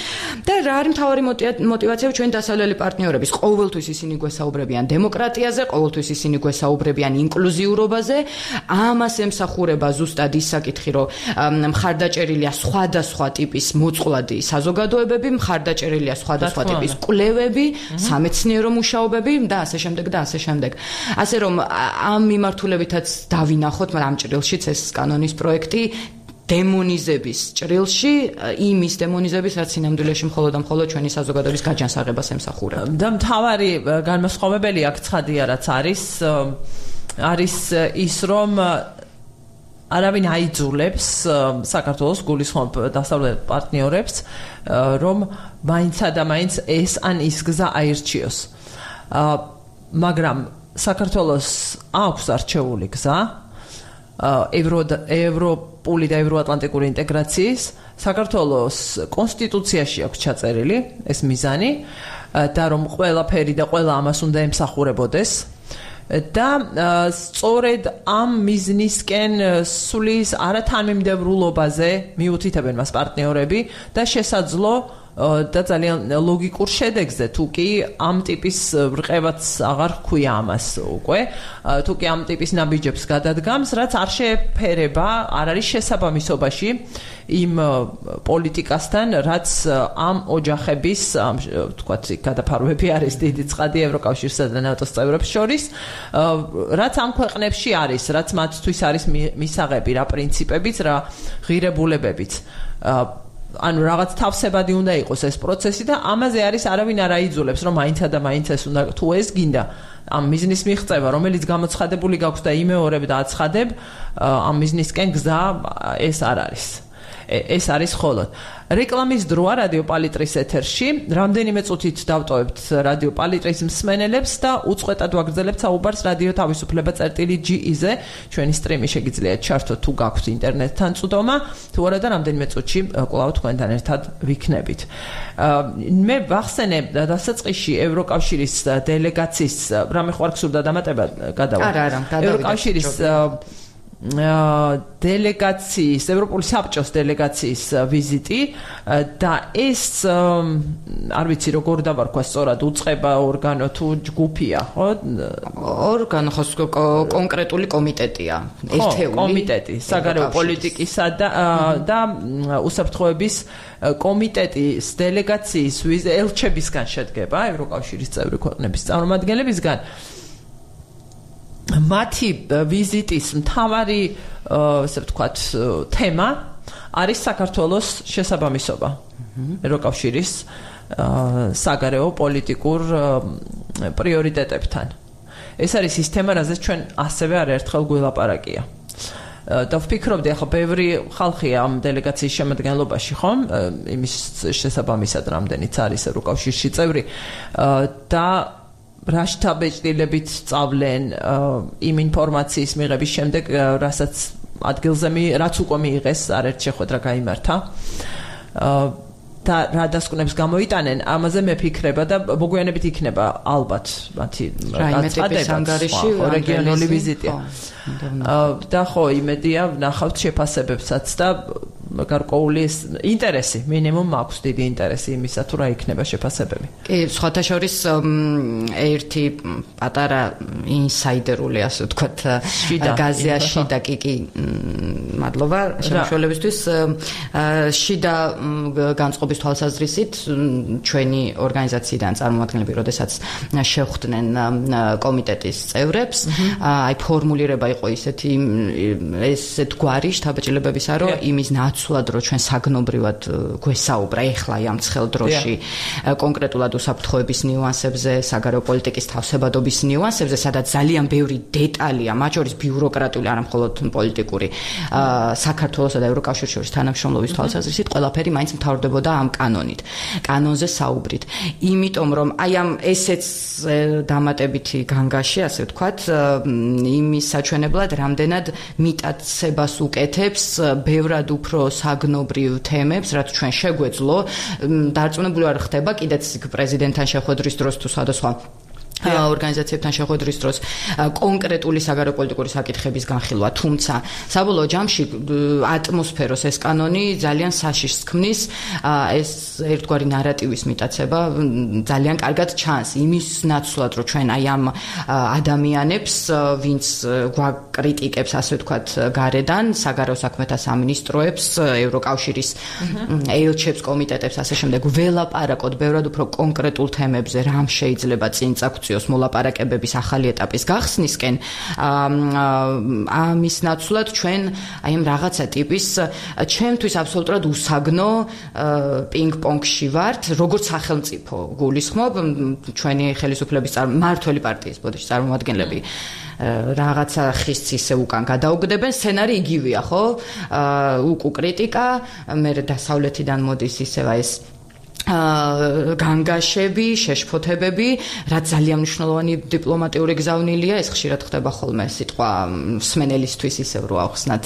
და რა არის მთავარი მოტივაციები ჩვენ დასავლელი პარტნიორების? ყოველთვის ისინი გვესაუბრებიან დემოკრატიაზე, ყოველთვის ისინი გვესაუბრებიან ინკლუზიურობაზე, ამას ემსახურება ზუსტად ის საკითხი, რომ მხარდაჭერილია სხვადასხვა ტიპის მოწყვლადი საზოგადოებები, მხარდაჭერილია სხვადასხვა ტიპის კვლევები, სამეცნიერო მუშაობები და ასე შემდეგ და ასე შემდეგ. ასე რომ ამ მიმართულებითაც დავინახოთ, მაგრამ ამ ჭრილშიც ეს კანონის პროექტი დემონიზების ჭრილში, იმის დემონიზების, რაც სინამდვილეში მხოლოდ და მხოლოდ ჩვენი საზოგადოების გაჯანსაღებას ემსახურება. და მთავარი განმასხვავებელი აქ ცხადია, რაც არის ის, რომ არავინ აიძულებს საქართველოს გულისხმობ დასავლელ პარტნიორებს, რომ მაინცა და მაინც ეს ან ის გზა აირჩიოს. მაგრამ საქართველოს აქვს არჩეული გზა ევროპული და ევროატლანტიკური ინტეგრაციის, საქართველოს კონსტიტუციაში აქვს ჩაწერილი ეს მიზანი და რომ ყველაფერი და ყველა ამას უნდა ემსახურებოდეს და სწორედ ამ მიზნისკენ სulis არათანმიმდევრულობაზე მიუთითებენ მას პარტნიორები და შესაძლო და ძალიან ლოგიკურ შედეგზე, თუ კი ამ ტიპის რყევაც აღარ ჰქვია ამას უკვე, თუ კი ამ ტიპის ნაბიჯებს გადადგამს, რაც არ შეფერება, არ არის შესაბამისობაში იმ პოლიტიკასთან, რაც ამ ოჯახების, თქვათ, გადაფარვები არის დიდი ცხადი ევროკავშირსა და ნატოს წევრებს შორის, რაც ამ ქვეყნებში არის, რაც მათთვის არის მისაღები, რა პრინციპებიც, რა ღირებულებებიც. ანუ რაღაც თავსებადი უნდა იყოს ეს პროცესი და ამაზე არის არავინ არ აიძულებს, რომ მაინცა და მაინც ეს უნდა, თუ ეს გინდა ამ მიზნის მიღწევა, რომელიც გამოცხადებული გაქვს და იმეორებ და აცხადებ, ამ მიზნისკენ გზა ეს არ არის. ეს არის ხოლოდ. რეკლამის დროა რადიო პალიტრის ეთერში. რამდენიმე წუთით დავტოვებთ რადიო პალიტრის მსმენელებს და უწყვეტად ვაგრძელებთ საუბარს რადიო თავისუფლება.ge-ზე. ჩვენი სტრიმი შეგიძლიათ ჩართოთ თუ გაქვთ ინტერნეტთან წვდომა, თუ არა და რამდენიმე წუთში კვლავ თქვენთან ერთად ვიქნებით. მე ვახსენე დასაწყისში ევროკავშირის დელეგაციის, რამე ხო არ გსურდა დამატება გადავა. არა, ევროკავშირის დელეგაციის, ევროპული საბჭოს დელეგაციის ვიზიტი და ეს არ ვიცი როგორ დავარქვა სწორად, უწყება ორგანო თუ ჯგუფია, ხო? ორგანო ხო კონკრეტული კომიტეტია, ერთეული კომიტეტი, საგარეო პოლიტიკისა და უსაფრთხოების კომიტეტის დელეგაციის ელჩებისგან შედგება, ევროკავშირის წევრი ქვეყნების წარმომადგენლებისგან. მათი ვიზიტის მთავარი ესე ვთქვათ თემა არის საქართველოს შესაბამისობა ევროკავშირის საგარეო პოლიტიკურ პრიორიტეტებთან. ეს არის ის თემა, რაზეც ჩვენ ასევე არაერთხელ გველაპარაკია. და ვფიქრობდი, ახლა ბევრი ხალხია ამ დელეგაციის შემადგენლობაში, ხომ? იმის შესაბამისად, რამდენიც არის ევროკავშირში წევრი და რა შთაბეჭდილებით სწავლენ იმ ინფორმაციის მიღების შემდეგ, რასაც ადგილზე რაც უკვე მიიღეს, არაერთ შეხვედრა გაიმართა. და რა დასკვნებს გამოიტანენ, ამაზე მეფიქრება და მოგვიანებით იქნება ალბათ მათი გაწყადება რეგიონული ვიზიტი. და ხო, იმედია ვნახავთ შეფასებებსაც და გარკვეული ინტერესი, მინიმუმ მაქვს დიდი ინტერესი იმისა, თუ რა იქნება შეფასებები. კი, სხვათა შორის ერთი პატარა ინსაიდერული, ასე ვთქვათ, გაზიაში და კი, მადლობა შემოშველებისთვის. შიდა განწყობის თვალსაზრისით ჩვენი ორგანიზაციიდან წარმომადგენლები, როდესაც შეხვდნენ კომიტეტის წევრებს, აი ფორმულირება იყო ისეთი ესეთ გვარი შთაბეჭდილებებისა, რომ იმის ნაცვლად, რომ ჩვენ საგნობრივად გვესაუბრა ეხლა ამ ცხელ დროში კონკრეტულად უსაფრთხოების ნიუანსებზე, საგარეო პოლიტიკის თავსებადობის ნიუანსებზე, სადაც ძალიან ბევრი დეტალია, მათ შორის ბიუროკრატიული, არა მხოლოდ პოლიტიკური, საქართველოსა და ევროკავშირის შორის თანამშრომლობის თვალსაზრისით ყველაფერი მაინც მთავრდებოდა ამ კანონით. კანონზე საუბრით. იმიტომ რომ აი ამ ესეც დამატებითი განგაში, ასე ვთქვათ, იმის საჩვენებლად რამდენად მიტაცებას უკეთებს ბევრად უფრო საგნობრივ თემებს, რაც ჩვენ შეგვეძლო, დარწმუნებული არ ხდება კიდეც პრეზიდენტთან შეხვედრის დროს თუ სხვადასხვა ორგანიზაციებთან შეხვედრის დროს კონკრეტული საგარეო პოლიტიკური საკითხების განხილვა, თუმცა საბოლოო ჯამში ატმოსფეროს ეს კანონი ძალიან საშიშს ქმნის, ეს ერთგვარი ნარატივის მიტაცება ძალიან კარგად ჩანს იმის ნაცვლად, რომ ჩვენ აი ამ ადამიანებს, ვინც გვაკრიტიკებს, ასე ვთქვათ, გარედან, საგარეო საქმეთა სამინისტროებს, ევროკავშირის ელჩებს, კომიტეტებს, ასე შემდეგ, ველაპარაკოთ ბევრად უფრო კონკრეტულ თემებზე, რამ შეიძლება წინ წაგვწიოს მოლაპარაკებების ახალი ეტაპის გახსნისკენ, ამის ნაცვლად ჩვენ აი ამ რაღაცა ტიპის ჩვენთვის აბსოლუტურად უსაგნო პინგ-პონგში ვართ, როგორც სახელმწიფო გულისხმობ, ჩვენი ხელისუფლების მმართველი პარტიის ბოდიში წარმომადგენლები რაღაცა ხის ისე უკან გადაუგდებენ, სცენარი იგივეა, ხო? უკუ კრიტიკა, მე დასავლეთიდან მოდის ისევა ეს განგაშები, შეშფოთებები, რაც ძალიან მნიშვნელოვანი დიპლომატიური გზავნილია, ეს ხშირად ხდება ხოლმე სიტყვა მსმენელისთვის ისევ რო ავხსნათ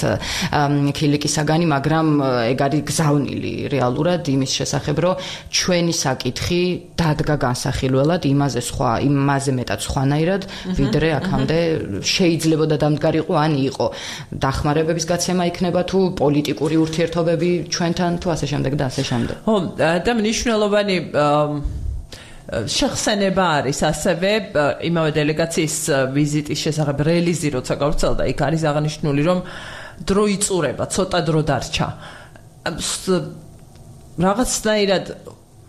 ქილიკისაგანი, მაგრამ ეგ არის გზავნილი რეალურად იმის შესახებ, რომ ჩვენი საკითხი დადგა განსახილველად იმაზე მეტად სხვანაირად, ვიდრე აქამდე შეიძლება და დამდგარიყო ან იყო. დახმარებების გაცემა იქნება თუ პოლიტიკური ურთიერთობები ჩვენთან თუ ასე შემდეგ და ასე შემდეგ. ხო, და მნიშვნელოვანი შეხსენება არის ასევე იმავე დელეგაციის ვიზიტის შესახებ რელიზი როცა გავრცელდა, იქ არის აღნიშნული, რომ დრო იწურება, ცოტა დრო დარჩა. რაღაცნაირად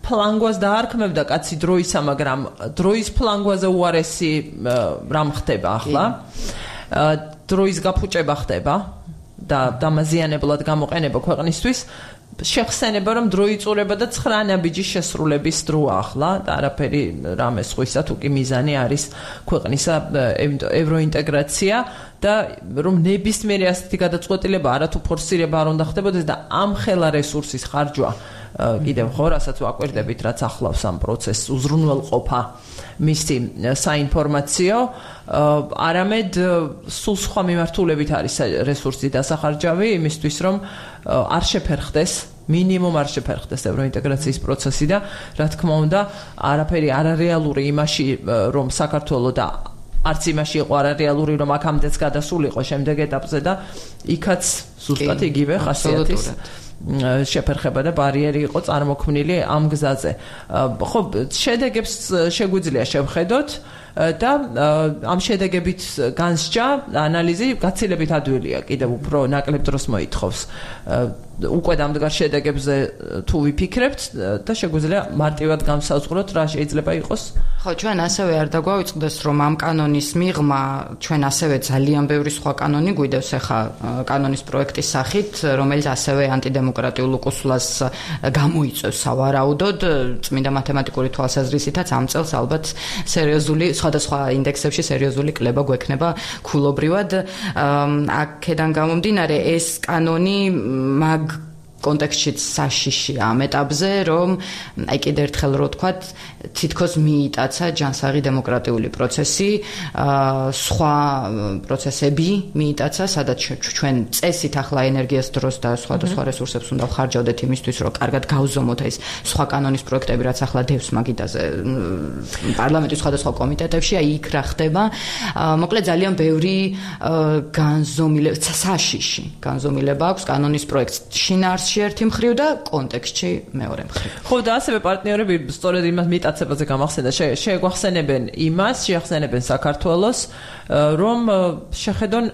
ფლანგვას დაარქმევდა კაცი დროისა, მაგრამ დროის ფლანგვაზე უარესი რამ ხდება ახლა. დროის გაფუჭება ხდება და დამაზიანებლად გამოყენება ქვეყნისთვის. შეხსენება, რომ დრო იწურება და 9 ნაბიჯის შესრულების დროა ახლა და არაფერი რამე სხვისა, თუ კი მიზანი არის ქვეყნისა ევროინტეგრაცია და რომ ნებისმიერი ასეთი გადაწყვეტილება არათუ ფორსირება არ უნდა ხდებოდეს და ამ ხელა რესურსის ხარჯვა კიდევ ხო, რასაც ვაკვირდებით, რაც ახლავს ამ პროცესს უზრუნველყოფა მისი საინფორმაციო, არამედ სულ სხვა მიმართულებით არის რესურსი დასახარჯავი იმისთვის, რომ არ შეფერხდეს, მინიმუმ არ შეფერხდეს ევროინტეგრაციის პროცესი და რა თქმა უნდა, არაფერი არარეალური იმაში, რომ საქართველოს და არც იმაში იყო არარეალური, რომ აქამდეც გადასულიყო შემდეგ ეტაპზე და იქაც ზუსტად იგივე ხასიათის შეფერხება და ბარიერი იყო წარმოქმნილი ამ გზაზე. ხო, შედეგებს შეგვიძლია შევხედოთ, და ამ შედეგებით განსჯა ანალიზი გაცილებით ადვილია, კიდევ უფრო ნაკლებ დროს მოითხოვს. უკვე დამდგარ შედეგებზე თუ ვიფიქრებთ და შეგვიძლია მარტივად გამსაუბროთ რა შეიძლება იყოს. ხო, ჩვენ ასევე არ დაგვაუწყდეს, რომ ამ კანონის მიღმა ჩვენ ასევე ძალიან ბევრი სხვა კანონი გვიდევს ახლა კანონის პროექტის სახით, რომელიც ასევე ანტიდემოკრატიულ უკუსლას გამოიწვევს სავარაუდოდ, წმინდა მათემატიკური თვალსაზრისითაც ამ წელს ალბათ სერიოზული სხვადასხვა ინდექსებში სერიოზული კლება გვექნება ქულობრივად. აქედან გამომდინარე ეს კანონი მაგ კონტექსტშიც საშიში ამ ეტაპზე, რომ აი კიდე ერთხელ რო ვთქვათ, თითქოს მიიტაცა ჯანსაღი დემოკრატიული პროცესი, სხვა პროცესები მიიტაცა, სადაც ჩვენ წესით ახლა ენერგიას, დროს და სხვადასხვა რესურსებს უნდა ვხარჯავდეთ იმისთვის, რომ კარგად გავზომოთ ეს სხვა კანონის პროექტები, რაც ახლა დევს მაგიდაზე პარლამენტის სხვადასხვა კომიტეტებში, აი იქ რა ხდება. მოკლედ ძალიან ბევრი საშიში განზომილება აქვს კანონის პროექტს შინაარსში ერთი მხრივ და კონტექსტში მეორე მხრივ. ხო და ასევე პარტნიორები სწორედ იმას მიტაცებაზე გამახსენდა, შეგვახსენებენ საქართველოს, რომ შეხედონ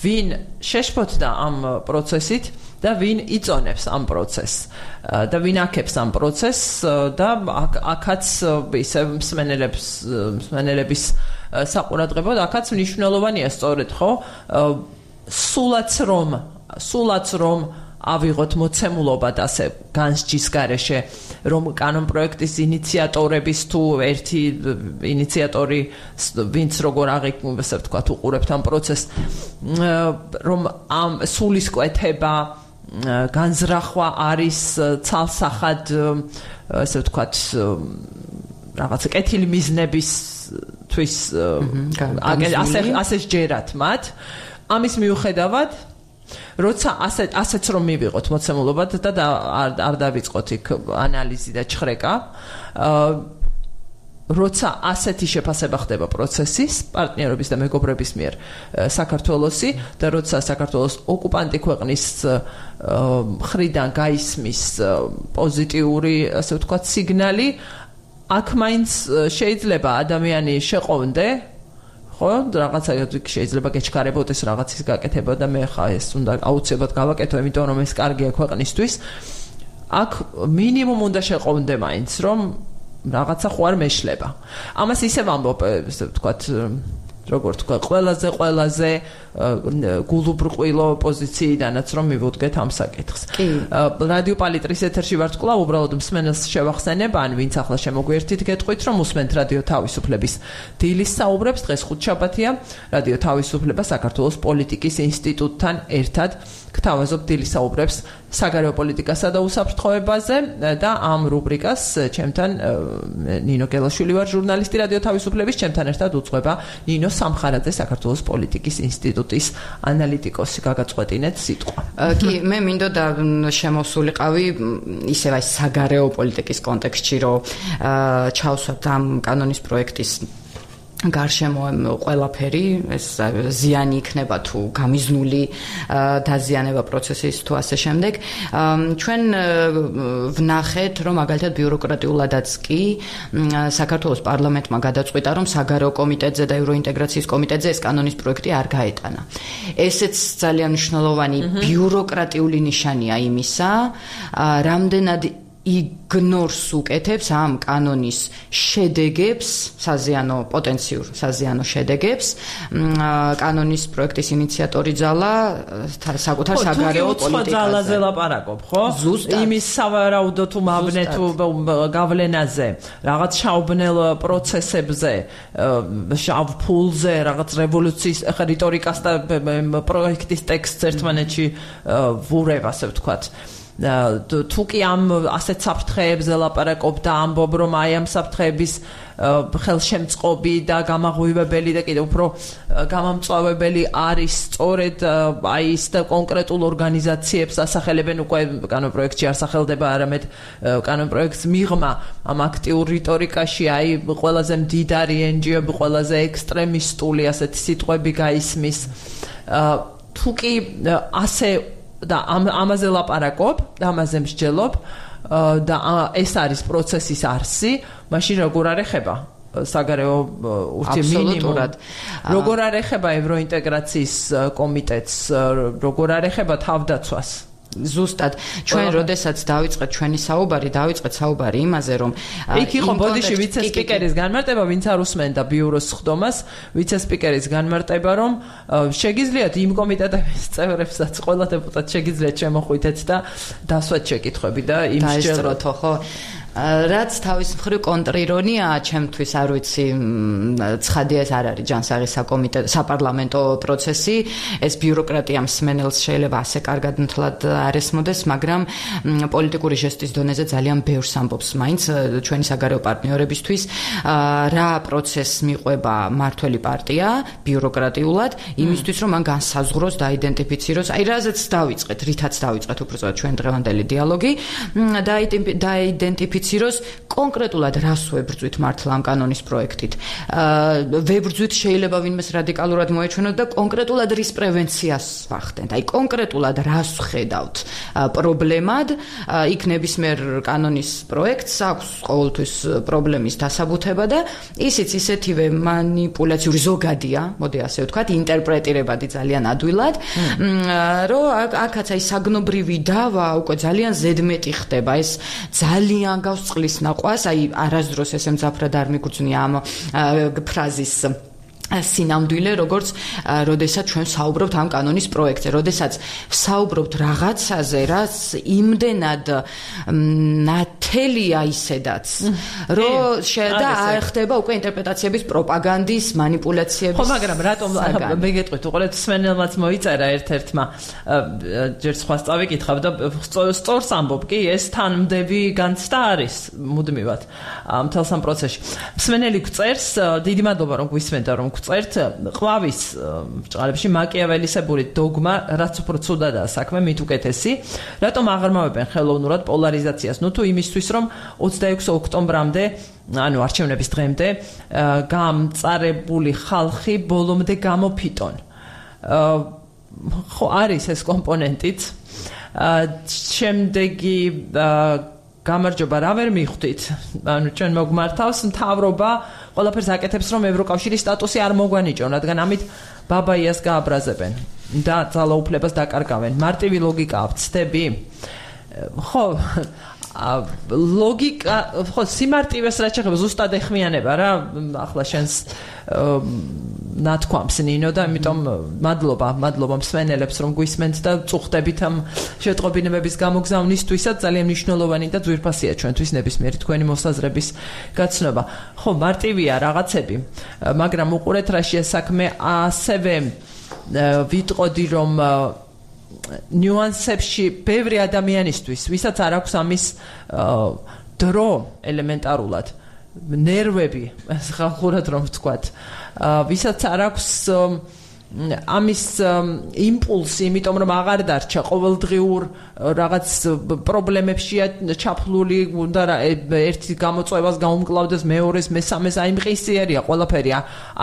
ვინ შეშფოთდა ამ პროცესით და ვინ იწონებს ამ პროცესს და ვინ აქებს ამ პროცესს და აქაც ისე მსმენელების საყურადღებოდ აქაც მნიშვნელოვანია სწორედ ხო სულაც რომ ავიღოთ მოცემულობა და ასე განსჯის გარეშე, რომ კანონპროექტის ინიციატორების თუ ერთი ინიციატორი, ვინც როგორ ასე ვთქვათ, უყურებთ ამ პროცესს, რომ ამ სულისკვეთება, განზრახვა არის ცალსახად, ასე ვთქვათ, რაღაც კეთილი მიზნებისთვის ასე სჯერათ მათ. ამის მიუხედავად როცა ასეც რომ მივიღოთ მოცემულობად და არ დავიწყოთ იქ ანალიზი და ჩხრეკა, როცა ასეთი შეფასება ხდება პროცესის, პარტნიორების და მეგობრების მიერ საქართველოსი და როცა საქართველოს ოკუპანტი ქვეყნის მხრიდან გაისმის პოზიტიური, ასე ვთქვათ, სიგნალი, აქ მაინც შეიძლება ადამიანი შეყოვნდე, ხო, რაღაცა შეიძლება გეჩქარებოდეს რაღაცის გაკეთება და მე ხა ეს უნდა აუცილებლად გავაკეთო, იმიტომ რომ ეს კარგია ქვეყნისთვის. აქ მინიმუმ უნდა შეყოვნდე მაინც, რომ რაღაცა ხო არ მეშლება. ამას ისევ ამბობ, ასე ვთქვათ, როგორ თქვა, ყველაზე გულუბრყვილო პოზიციიდანაც რომ მივუდგეთ ამ საკითხს. რადიო პალიტრის ეთერში ვართ კვლავ, უბრალოდ მსმენელს შევახსენებ, ან ვინც ახლა შემოგვიერთით, გეტყვით, რომ უსმენთ რადიო თავისუფლების დილის საუბრებს, დღეს ხუთშაბათია, რადიო თავისუფლება საქართველოს პოლიტიკის ინსტიტუტთან ერთად გთავაზობ დილის საუბრებს საგარეო პოლიტიკასა და უსაფრთხოებაზე და ამ რუბრიკას ჩემთან ნინო გელაშვილი ვარ, ჟურნალისტი რადიო თავისუფლების, ჩემთან ერთად უძღვება ნინო სამხარაძე, საქართველოს პოლიტიკის ინსტიტუტის ანალიტიკოსი. გაგაწყვეტინეთ სიტყვა. კი, მე მინდოდა შემოსულიყავი ისევ აი საგარეო პოლიტიკის კონტექსტში, რომ ჩავსვათ ამ კანონის პროექტის გარშემო ყველაფერი, ეს ზიანი იქნება თუ გამიზნული დაზიანება პროცესის თუ ასე შემდეგ. ჩვენ ვნახეთ, რომ მაგალითად ბიუროკრატიულადაც კი საქართველოს პარლამენტმა გადაწყვიტა, რომ საგარეო კომიტეტზე და ევროინტეგრაციის კომიტეტზე ეს კანონის პროექტი არ გაეტანა. ესეც ძალიან მნიშვნელოვანი ბიუროკრატიული ნიშანია იმისა, რამდენად იგნორს უკეთებს ამ კანონის შედეგებს, პოტენციურ საზიანო შედეგებს, კანონის პროექტის ინიციატორი ძალა საკუთარ საგარეო პოლიტიკაზე. თუ ძალაზე ლაპარაკობ, ხო? იმის სავარაუდო თუ მაბნე თუ გავლენაზე, რაღაც შაუბნელ პროცესებზე, შავ ფულზე, რაღაც რევოლუციის რიტორიკას და პროექტის ტექსტს ერთმანეთში ვურევ, ასე ვთქვათ. თუ კი ამ ასეთ საფრთხეებზე ლაპარაკობ და ამბობ, რომ აი ამ საფრთხეების ხელშემწყობი და გამაღვივებელი და კიდევ უფრო გამამწვავებელი არის სწორედ აი ის და კონკრეტულ ორგანიზაციებს ასახელებენ, უკვე კანონპროექტში არ სახელდება, არამედ კანონპროექტს მიღმა ამ აქტიურ რიტორიკაში აი ყველაზე მდიდარი NGO-ები, ყველაზე ექსტრემისტული ასეთი სიტყვები გაისმის. თუ კი ასე და ამაზე ლაპარაკობ და ამაზე მსჯელობ და ეს არის პროცესის არსი, მაშინ როგორ არ ეხება საგარეო ურთიერთობების მინიმუმად. როგორ არ ეხება ევროინტეგრაციის კომიტეტს, როგორ არ ეხება თავდაცვას? ზუსტად ჩვენ როდესაც დავიწყეთ ჩვენი საუბარი, დავიწყეთ საუბარი იმაზე, რომ იქ იყო ბოდიში ვიცე-სპიკერის განმარტება, ვინც არ უსმენდა ბიუროს ხდომას, ვიცე-სპიკერის განმარტება, რომ შეგიძლიათ იმ კომიტეტების წევრებსაც, ყველა დეპუტატს შეგიძლიათ შემოხვიდეთ და დასვათ შეკითხვები და იმსჯელოთო, ხო? რაც თავის მხრივ კონტრირონია ჩემთვის არ ვიცი ცხადია ეს არ არის ჯანსაღი საპარლამენტო პროცესი ეს ბიუროკრატია მსმენელს შეიძლება ასე კარგად მთლად არ ესმოდეს მაგრამ პოლიტიკური ჟესტის დონეზე ძალიან ბევრს ამბობს მაინც ჩვენი საგარეო პარტნიორებისთვის რა პროცესს მიყვება მართველი პარტია ბიუროკრატიულად იმისთვის რომ მან განსაზღვროს და აიდენტიფიციროს აი რაზეც დავიწყეთ რითაც დავიწყეთ უბრალოდ ჩვენ დღევანდელი დიალოგი და აიდენტიფიციროს კონკრეტულად რას ვებრძვით მართლა ამ კანონის პროექტით. ვებრძვით შეიძლება ვინმეს რადიკალურად მოეჩვენოთ და კონკრეტულად რის პრევენციას ვახდენთ. აი კონკრეტულად რას ვხედავთ პრობლემად, იქ ნებისმიერ კანონის პროექტს აქვს ყოველთვის პრობლემის დასაბუთება და ისიც ისეთივე მანიპულაციური ზოგადია, მოდი ასე ვთქვათ, ინტერპრეტირებადი ძალიან ადვილად, რომ აქაც აი საგნობრივი დავა უკვე ძალიან ზედმეტი ხდება. ეს ძალიან წყლის ნაყვას, აი არასდროს ესე მძაფრად არ მიგრძნია ამ ფრაზის სინამდვილე, როგორც როდესაც ჩვენ საუბრობთ ამ კანონის პროექტზე, როდესაც საუბრობთ რაღაცაზე, რაც იმდენად ნათელია ისედაც, რომ და არ ხდება უკვე ინტერპრეტაციების პროპაგანდის, მანიპულაციების. ხო, მაგრამ რატომ მე გეტყვით, უყურეთ, სვენელმაც მოიწერა ერთ-ერთმა ჯერ სხვას წავიკითხავ და სწორს ამბობ კი, ეს თანმდები განცდა არის მუდმივად მთელს ამ პროცესში. სვენელი გწერს, დიდი მადლობა რომ გვისმენთ რომ წერთ ყვავის ბჭყალებში მაკიაველისებური დოგმა რაც უფრო ცუდადაა საქმე მით უკეთესი რატომ აღრმავებენ ხელოვნურად პოლარიზაციას ნუ თუ იმისთვის რომ 26 ოქტომბრამდე ანუ არჩევნების დღემდე გამწარებული ხალხი ბოლომდე გამოფიტონ ხო არის ეს კომპონენტიც შემდეგი გამარჯობა რა ვერ მიხვდით ანუ ჩვენ მოგმართავს მთავრობა ყველაფერს აკეთებს რომ ევროკავშირის სტატუსი არ მოგვანიჭონ რადგან ამით ბაბაიას გააბრაზებენ და ძალაუფლებას დაკარგავენ მარტივი ლოგიკა ვცდები ხო ლოგიკა ხო სიმარტივეს რაც შეხება ზუსტად ეხმიანება რა ახლა შენს ნათქვამს ნინო და ამიტომ მადლობა მსმენელებს რომ გვისმენთ და წუხდებით ამ შეტყობინებების გამოგზავნისთვისაც ძალიან მნიშვნელოვანი და ძვირფასია ჩვენთვის ნებისმიერი თქვენი მოსაზრების გაცნობა ხო მარტივია რაღაცები მაგრამ უყურეთ რა შეასაქმე ასევე ვიტყოდი რომ ნიუანსებში ბევრი ადამიანისთვის, ვისაც არ აქვს ამის დრო ელემენტარულად, ნერვები, ხალხურად რომ ვთქვათ, ვისაც არ აქვს ამის იმპულსი, იმიტომ რომ აღარ დარჩა ყოველდღიურ რაღაც პრობლემებშია ჩაფლული, უნდა ერთი გამოწვევას გაუმკლავდეს მეორეს, მესამეს აიმყისიერია ყველაფერი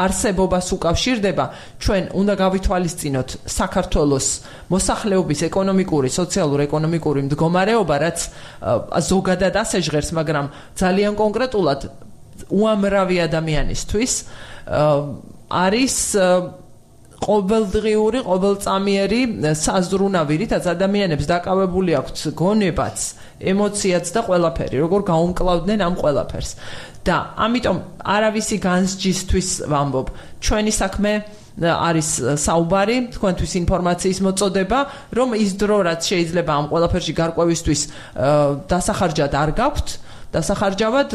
არსებობას უკავშირდება, ჩვენ უნდა გავითვალისწინოთ საქართველოს მოსახლეობის ეკონომიკური, სოციალურ-ეკონომიკური მდგომარეობა, რაც ზოგადად ასე ჟღერს, მაგრამ ძალიან კონკრეტულად უამრავი ადამიანისთვის არის ყოველდღიური, ყოველწამიერი საზრუნავი, რითაც ადამიანებს დაკავებული აქვთ გონებაც, ემოციაც და ყველაფერი, როგორ გაუმკლავდნენ ამ ყველაფერს. და ამიტომ არავისი განსჯისთვის ვამბობ, ჩვენი საქმე არის საუბარი, თქვენთვის ინფორმაციის მოწოდება, რომ ის დრო რაც შეიძლება ამ ყველაფერში გარკვევისთვის დასახარჯად არ გაქვთ, დასახარჯავად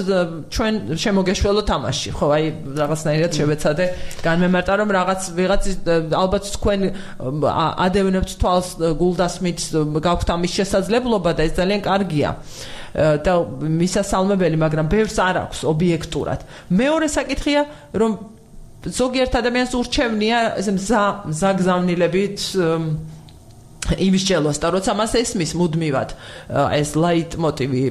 ჩვენ შემოგეშველო თამაში. ხო, აი რაღაცნაირად შევეცადე განმემარტა რომ ვიღაც ალბათ თქვენ ადევნებთ თვალს გულდასმით გაქვთ ამის შესაძლებლობა და ეს ძალიან კარგია. და მისასალმებელი, მაგრამ ბევრს არ აქვს ობიექტურად. მეორე საკითხია, რომ ზოგიერთ ადამიანს ურჩევნია ესე მზაგზავნილებით იმისჯელოს და როცა მას ესმის მუდმივად ეს ლაიტმოტივი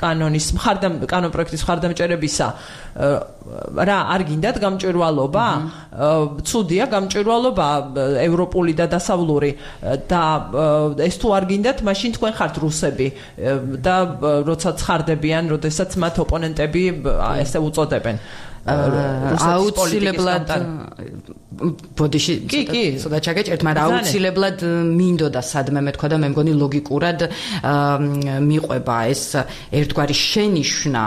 კანონ პროექტის მხარდამჭერებისა რა არ გინდათ გამჭვირვალობა? ცუდია გამჭვირვალობა ევროპული და დასავლური და ეს თუ არ გინდათ, მაშინ თქვენ ხართ რუსები და როცა ცხარდებიან, როდესაც მათ ოპონენტები ესე უწოდებენ. აუცილებლად ბოდიში ცოტა ჩაგეჭერთ, მაგრამ აუცილებლად მინდოდა სადმე მეთქვა და მე მგონი ლოგიკურად მიყვება ეს ერთგვარი შენიშვნა,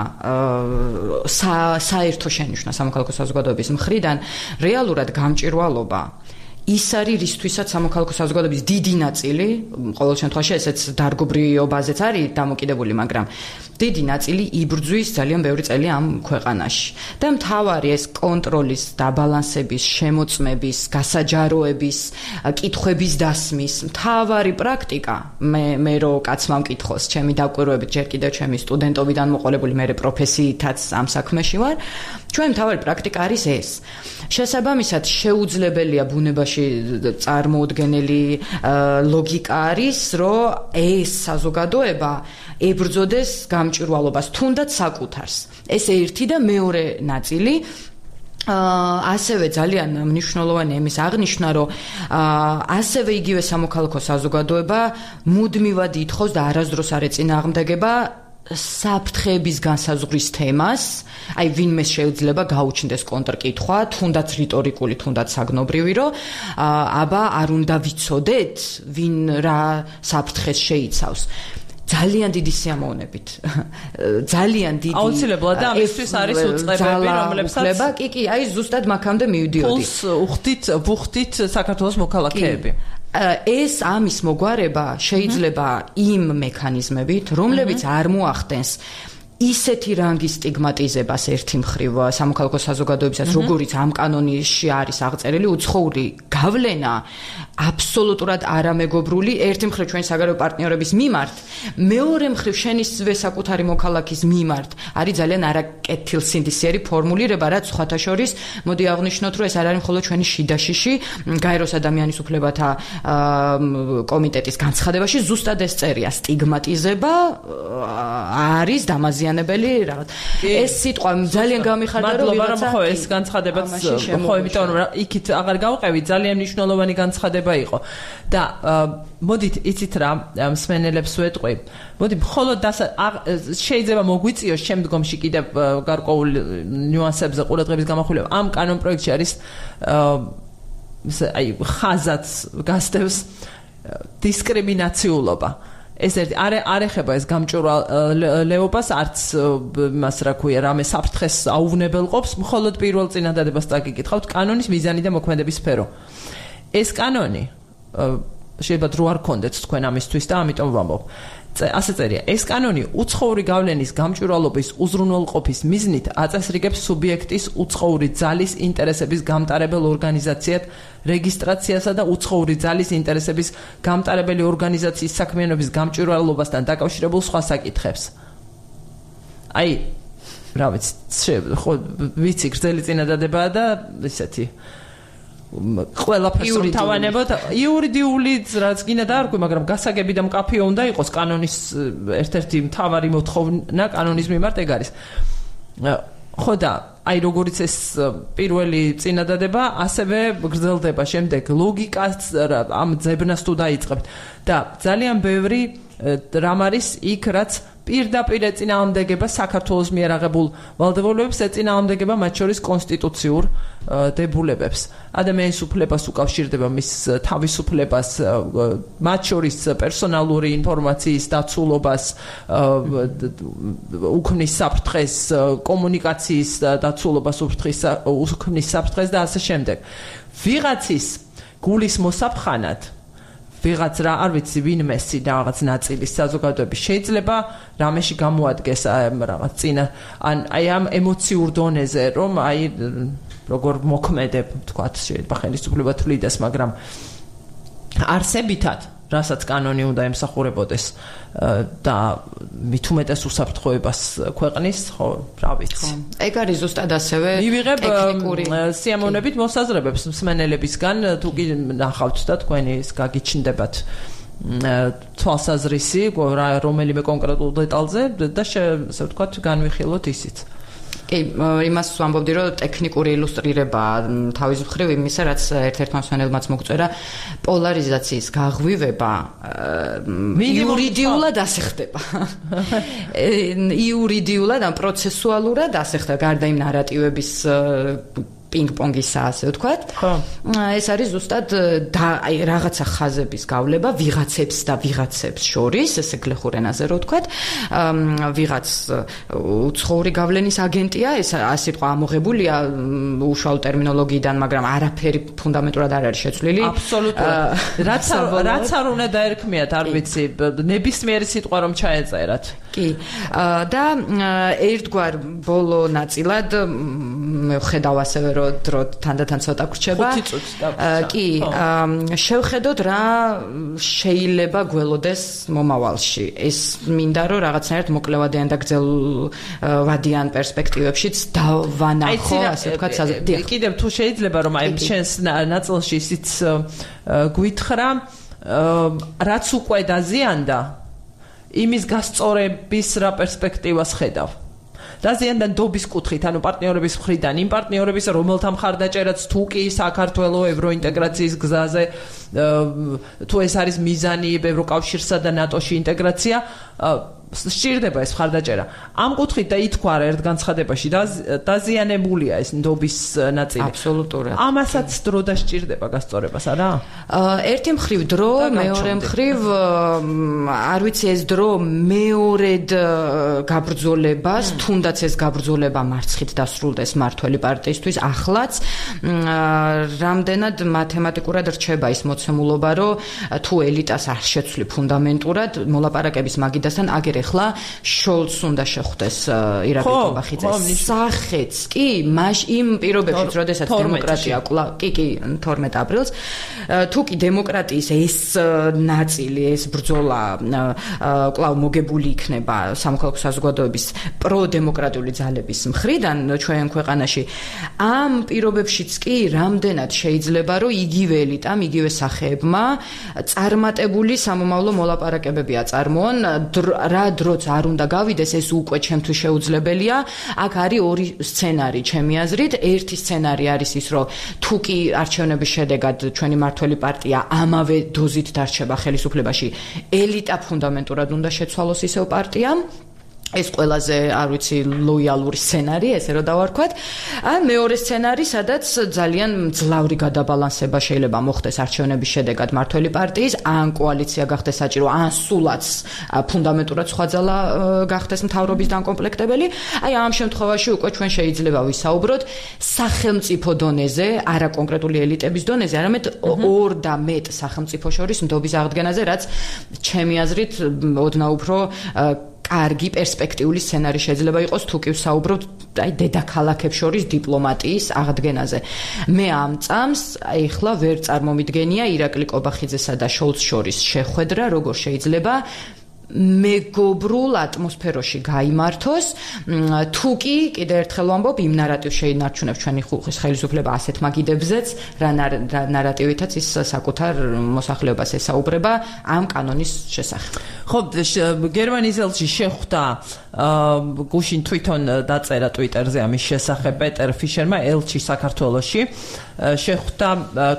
საერთო შენიშვნა სამოქალაქო საზოგადოების მხრიდან, რეალურად გამჭვირვალობა ის არის რისთვისაც სამოქალაქო საზოგადოების დიდი ნაწილი, ყოველ შემთხვევაში ესეც დარგობრივობაზეც არის დამოკიდებული, მაგრამ დიდი ნაწილი იბრძვის ძალიან ბევრი წელი ამ ქვეყანაში. და მთავარი ეს კონტროლის, დაბალანსების, შემოწმების, გასაჯაროების, კითხვების დასმის მთავარი პრაქტიკა, მე რო კაცმა მკითხოს, ჩემი დაკვირვებით, ჯერ კიდევ ჩემი სტუდენტობიდან მოყოლებული, მე პროფესიითაც ამ საქმეში ვარ, ჩვენ მთავარი პრაქტიკა არის ეს. შესაბამისად, შეუძლებელია ბუნებაში წარმოუდგენელი ლოგიკა არის, რომ ეს საზოგადოება ებრძოდეს გამჭვირვალობას, თუნდაც საკუთარს. ეს ერთი და მეორე ნაწილი ასევე ძალიან მნიშვნელოვანია იმის აღნიშვნა, რომ ასევე იგივე სამოქალაქო საზოგადოება მუდმივად ითხოვს და არასდროს არ ეწინააღმდეგება საფრთხეების განსაზღვრის თემას, აი ვინმეს შეიძლება გაუჩნდეს კონტრკითხვა, თუნდაც რიტორიკული, თუნდაც საგნობრივი, რომ აბა არ უნდა ვიცოდეთ, ვინ რა საფრთხეს შეიცავს. ძალიან დიდი სიამოვნებით. ძალიან დიდი. აუცილებლად და ამისთვის არის უწყებები, რომლებსაც კი, აი ზუსტად მაგამდე მივიდიოდი. პულს ვუხდით საქართველოს მოქალაქეები. ეს ამის მოგვარება შეიძლება იმ მექანიზმებით, რომლებიც არ მოახდენს ისეთი რანგის სტიგმატიზებას ერთი მხრივ სამოქალაქო საზოგადოებისას, როგორიც ამ კანონში არის აღწერილი, უცხოური გავლენა აბსოლუტურად არამეგობრული ერთი მხრივ ჩვენი საგარეო პარტნიორების მიმართ, მეორე მხრივ შენისვე საკუთარი მოქალაქის მიმართ არის ძალიან არაკეთილსინდისიერი ფორმულირება, რაც სხვათა შორის მოდი აღვნიშნოთ, რომ ეს არ არის მხოლოდ ჩვენი შიდაშიში გაეროს ადამიანის უფლებათა კომიტეტის განცხადებაში ზუსტად ეს წერია, სტიგმატიზება არის დამაზიანებელი რაღაც. ეს სიტყვა ძალიან გამიხარდა, რომ ვიღაცა ხო ეს განცხადებაც ხო, იმიტომ რომ იქით აღარ გავყევით, ძალიან მნიშვნელოვანი განცხადება იყო და მოდით იცით რა მსმენელებს ვეტყვი, მოდი მხოლოდ შეიძლება მოგვიწიოს შემდგომში კიდევ გარკვეულ ნიუანსებზე ყურადღების გამახვილება. ამ კანონ პროექტში არის აი ხაზაც გასდევს დისკრიმინაციულობა. ეს ერთი არ ეხება ეს გამჭვირვალეობას, არც მას რა ქვია, რამე საფრთხეს აუვნებელყოფს, მხოლოდ პირველ წინადადებას წაგიკითხავთ კანონის მიზანი და მოქმედების სფერო. ეს კანონი შეიძლება დრო არ გქონდეთ თქვენ ამისთვის და ამიტომ ვამბობ. ასე წერია, ეს კანონი უცხოური გავლენის გამჭვირვალობის უზრუნველყოფის მიზნით აწესრიგებს სუბიექტის უცხოური ძალის ინტერესების გამტარებელ ორგანიზაციად რეგისტრაციასა და უცხოური ძალის ინტერესების გამტარებელი ორგანიზაციის საქმიანობის გამჭვირვალობასთან დაკავშირებულ სხვა საკითხებს. აი, რა ვიცი, ხო ვიცი, გრძელი წინადადებაა და ისეთი ყველაფერს თავანებოთ იურიდიული რაც გინდა დაარქვი, მაგრამ გასაგები და მკაფიო უნდა იყოს კანონის ერთ-ერთი მთავარი მოთხოვნა კანონის მიმართ ეგ არის. ხო და აი როგორც ეს პირველი წინადადება ასევე გრძელდება შემდეგ ლოგიკას ამ ძებნას თუ დაიწყებთ და ძალიან ბევრი რამ არის იქ რაც პირდაპირ ეწინააღმდეგება საქართველოს მიერ აღებულ ვალდებულებებს, ეწინააღმდეგება მათ შორის კონსტიტუციურ დებულებებს. ადამიანის უფლებას უკავშირდება მის თავისუფლებას, მათ შორის პერსონალური ინფორმაციის დაცულობას, უქმნის საფრთხეს, კომუნიკაციის დაცულობას, უქმნის საფრთხეს და ასე შემდეგ. ვიღაცის გულის მოსაფხანად ვიღაც რა არ ვიცი ვინმესი რაღაც ნაწილის საზოგადოების შეიძლება რამეში გამოადგეს რაღაც წინა ან აი ამ ემოციურ დონეზე რომ აი როგორ მოქმედებ თქვათ შეიძლება ხელისუფლება თვლიდეს მაგრამ არსებითად რასაც კანონი უნდა ემსახურებოდეს და მით უმეტეს უსაფრთხოებას ქვეყნის ხო რა ვიცი ეგ არის ზუსტად ასევე ტექნიკური სიამოვნებით მოსაზრებებს მსმენელებისგან თუ კი ნახავთ და თქვენი ის გაგიჩნდებათ თვალსაზრისი რომელიმე კონკრეტულ დეტალზე და ასე ვთქვათ განვიხილოთ ისიც კი, იმას ვამბობდი, რომ ტექნიკური ილუსტრირება თავის მხრივ იმისა, რაც ერთ-ერთმა მსმენელმაც მოგწერა, პოლარიზაციის გაღვივება იურიდიულად ასე ხდება. იურიდიულად ან პროცესუალურად ასე ხდება, გარდა იმ ნარატივების პინგ-პონგისა, ასე ვთქვათ. ეს არის ზუსტად აი რაღაცა ხაზების გავლება ვიღაცებს და ვიღაცებს შორის, ესე გლეხურ ენაზე რო ვთქვათ, ვიღაც უცხოური გავლენის აგენტია, ეს სიტყვა ამოღებულია უშუალო ტერმინოლოგიიდან, მაგრამ არაფერი ფუნდამენტურად არ არის შეცვლილი. აბსოლუტურად. რაც არ უნდა დაერქმიათ, არ ვიცი, ნებისმიერი სიტყვა რომ ჩაეწერათ. კი. და ერთგვარ ბოლო ნაწილად მე ვხედავ ასევე რომ დრო თანდათან ცოტა გრჩება. 5 წუთი დაგვიწყდა. კი, შევხედოთ რა შეიძლება გველოდეს მომავალში. ეს მინდა რომ რაღაცნაირად მოკლევადიან და გრძელვადიან პერსპექტივებშიც დავანახო, ასე ვთქვათ, კიდევ თუ შეიძლება რომ აი შენს ნაწილში ისიც გვითხრა, რაც უკვე დაზიანდა, იმის გასწორების რა პერსპექტივას ხედავ. დაზიანდა ნდობის კუთხით, ანუ პარტნიორების მხრიდან, იმ პარტნიორების, რომელთა მხარდაჭერაც თუ კი საქართველოს ევროინტეგრაციის გზაზე, თუ ეს არის მიზანი ევროკავშირსა და ნატოში ინტეგრაცია, სჭირდება ეს მხარდაჭერა. ამ კუთხით და ითქვა ერთ განცხადებაში დაზიანებულია ეს ნდობის ნაწილი. აბსოლუტურად. ამასაც დრო დასჭირდება გასწორებას, არა? ერთი მხრივ დრო, მეორე მხრივ არ ვიცი ეს დრო მეორედ გაბრძოლებას, თუნდაც ეს გაბრძოლება მარცხით დასრულდეს მართველი პარტიისთვის, ახლაც რამდენად მათემატიკურად რჩება ის მოცემულობა, რომ თუ ელიტას არ შეცვლი ფუნდამენტურად მოლაპარაკების მაგიდასთან აგერ ახლა შოლცს უნდა შეხვდეს ირაკლი კობახიძე. სახეც კი, იმ პირობებში, როდესაც დემოკრატია კი 12 აპრილს, თუ კი დემოკრატიის ეს ნაწილი, ეს ბრძოლა კვლავ მოგებული იქნება სამოქალაქო საზოგადოების პროდემოკრატიული ძალების მხრიდან ჩვენ ქვეყანაში, ამ პირობებშიც კი რამდენად შეიძლება რომ იგივე ელიტამ, იგივე სახეებმა წარმატებული სამომავლო მოლაპარაკებები აწარმოონ, რა დროც არ უნდა გავიდეს, ეს უკვე ჩემთვის შეუძლებელია. აქ არის ორი სცენარი ჩემი აზრით. ერთი სცენარი არის ის, რომ თუ კი არჩევნების შედეგად ჩვენი მართველი პარტია ამავე დოზით დარჩება ხელისუფლებაში, ელიტა ფუნდამენტურად უნდა შეცვალოს ისევ პარტიამ. ეს ყველაზე, არ ვიცი, ლოიალური სცენარი, ესე რომ დავარქვათ. ან მეორე სცენარი, სადაც ძალიან მძლავრი გადაბალანსება შეიძლება მოხდეს არჩევნების შედეგად მართველი პარტიის, ან კოალიცია გახდეს საჭირო, ან სულაც ფუნდამენტურად სხვა ძალა გახდეს მთავრობის დაკომპლექტებელი. აი ამ შემთხვევაში უკვე ჩვენ შეიძლება ვისაუბროთ სახელმწიფო დონეზე, არა კონკრეტული ელიტების დონეზე, არამედ ორ და მეტ სახელმწიფო შორის ნდობის აღდგენაზე, რაც ჩემი აზრით ოდნავ უფრო კარგი პერსპექტიული სცენარი შეიძლება იყოს, თუ კი ვსაუბრობთ აი დედაქალაქებს შორის დიპლომატიის აღდგენაზე. მე ამ წამს ეხლა ვერ წარმომიდგენია ირაკლი კობახიძესა და შოლცს შორის შეხვედრა, როგორ შეიძლება მეგობრულ ატმოსფეროში გაიმართოს, თუ კი კიდევ ერთხელ ვამბობ, იმ ნარატივს შეინარჩუნებს ჩვენი ხელისუფლება ასეთ მაგიდებზეც, რა ნარატივითაც ის საკუთარ მოსახლეობას ესაუბრება ამ კანონის შესახებ. ხო, გერმანიის ელჩი შეხვდა, გუშინ თვითონ დაწერა ტვიტერზე ამის შესახებ პეტერ ფიშერმა, ელჩი საქართველოში, შეხვდა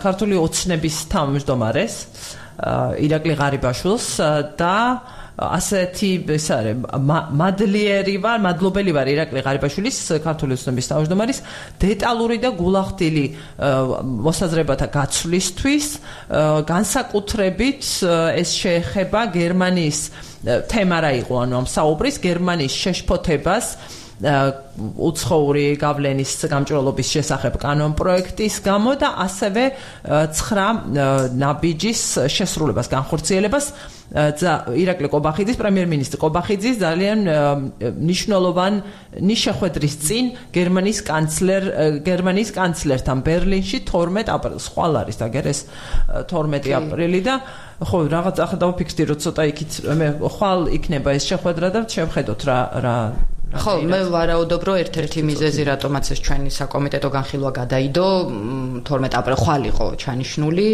ქართული ოცნების თავმჯდომარეს, ირაკლი ღარიბაშვილს და ასეთი ეს არის მადლობელი ვარ ირაკლი ღარიბაშვილის ქართული ოცნების თავმჯდომარის დეტალური და გულახდილი მოსაზრებათა გაცვლისთვის, განსაკუთრებით ეს შეეხება გერმანიის თემა რა იყო, ანუ ამ საუბრის გერმანიის შეშფოთებას უცხოური გავლენის გამჭრელობის შესახებ კანონპროექტის გამო და ასევე 9 ნაბიჯის შესრულებას, განხორციელებას. ირაკლი კობახიძის, პრემიერ-მინისტრი კობახიძის ძალიან მნიშვნელოვანი შეხვედრის წინ გერმანიის კანცლერთან ბერლინში 12 აპრილს. ხვალ არის დაგერეს 12 აპრილი და ხო, რაღაც ახლა დავფიქრდი, რომ ცოტა იქით მე ხვალ იქნება ეს შეხვედრა და შევხედოთ რა ხო, მე ვარაუდობ, რომ ერთ-ერთი მიზეზი, რატომაც ეს ჩვენი საკომიტეტო განხილვა გადაიდო, 12 აპრილს ხვალ იყო ჩანიშნული,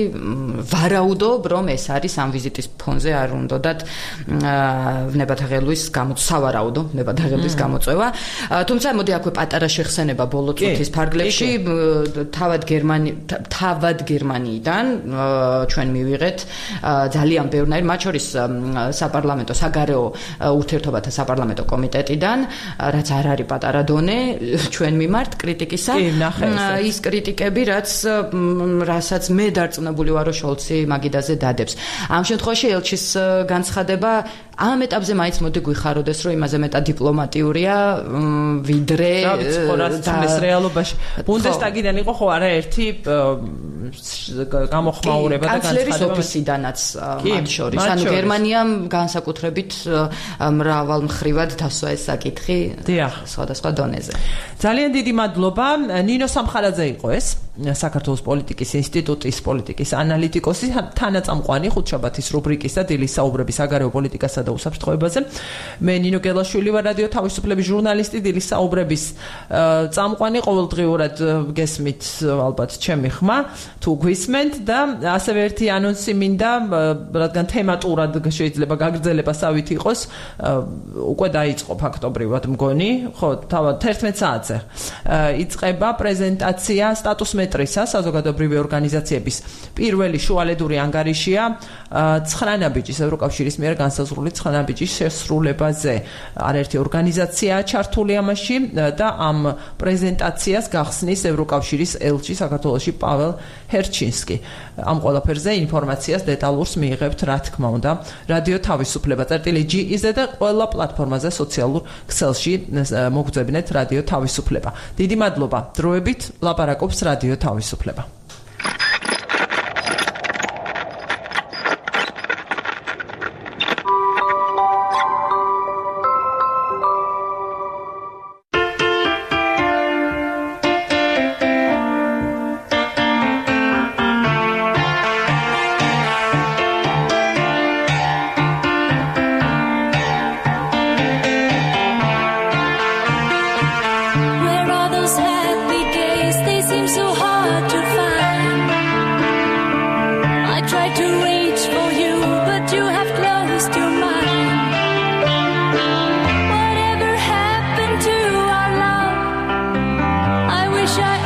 ვარაუდობ, რომ ეს არის ამ ვიზიტის ფონზე არ უნდათ ვნებათაღელვის სავარაუდო ვნებათაღელვის გამოწვევა. თუმცა მოდი აქვე პატარა შეხსენება ბოლო წუთის ფარგლებში, თავად გერმანიიდან ჩვენ მივიღეთ ძალიან ბევრნაირ, მათ შორის საპარლამენტო საგარეო ურთიერთობათა საპარლამენტო კომიტეტიდან, რაც არ არის პატარა დონე ჩვენ მიმართ კრიტიკისა. ის კრიტიკები, რასაც მე დარწმუნებული ვარ, რომ შოლცი მაგიდაზე დადებს. ამ შემთხვევაში ელჩის განცხადება ამ ეტაპზე მაინც მოდი გვიხაროდეს, რომ იმაზე მეტად დიპლომატიურია, ვიდრე და რეალობაში ბუნდესტაგიდან იყო ხო არაერთი გამოხმაურება და განცხადება კანცლერის ოფისიდანაც მათ შორის. ანუ გერმანიამ განსაკუთრებით მრავალ მხრივად დასვა ეს საკითხი სხვადასხვა დონეზე. ძალიან დიდი მადლობა. ნინო სამხარაძე იყო ეს საქართველოს პოლიტიკის ინსტიტუტის პოლიტიკის ანალიტიკოსი, თანაწამყვანი ხუთშაბათის რუბრიკის და დილის საუბრების საგარეო პოლიტიკასა და უსაფრთხოებაზე. მე ნინო გელაშვილი ვარ, რადიო თავისუფლების ჟურნალისტი, დილის საუბრების წამყვანი. ყოველდღიურად გესმით ალბათ ჩემი ხმა თუ გვისმენთ და ასევე ერთი ანონსი მინდა, რადგან თემატურად შეიძლება გაგრძელებასავით იყოს, უკვე დაიწყო ფაქტობრივად მგონი, ხო, თავად 11 საათზე იწყება პრეზენტაცია სტატუსმეტრისა საზოგადოებრივი ორგანიზაციების პირველი შუალედური ანგარიშია 9 ნაბიჯის ევროკავშირის მიერ განსაზღვრული 9 ნაბიჯის შესრულებაზე. არაერთი ორგანიზაციაა ჩართული ამაში და ამ პრეზენტაციას გახსნის ევროკავშირის ელჩი საქართველოში პაվել ჰერჩინსკი. ამ ყველაფერზე ინფორმაციას დეტალურს მიიღებთ, რა თქმა უნდა, რადიო თავისუფლება .gz-ზე და ყველა პლატფორმაზე სოციალურ ქსელში მოგძებნეთ რადიო თავისუფლება. დიდი მადლობა. დროებით ლაპარაკობს რადიო თავისუფლება. Wish I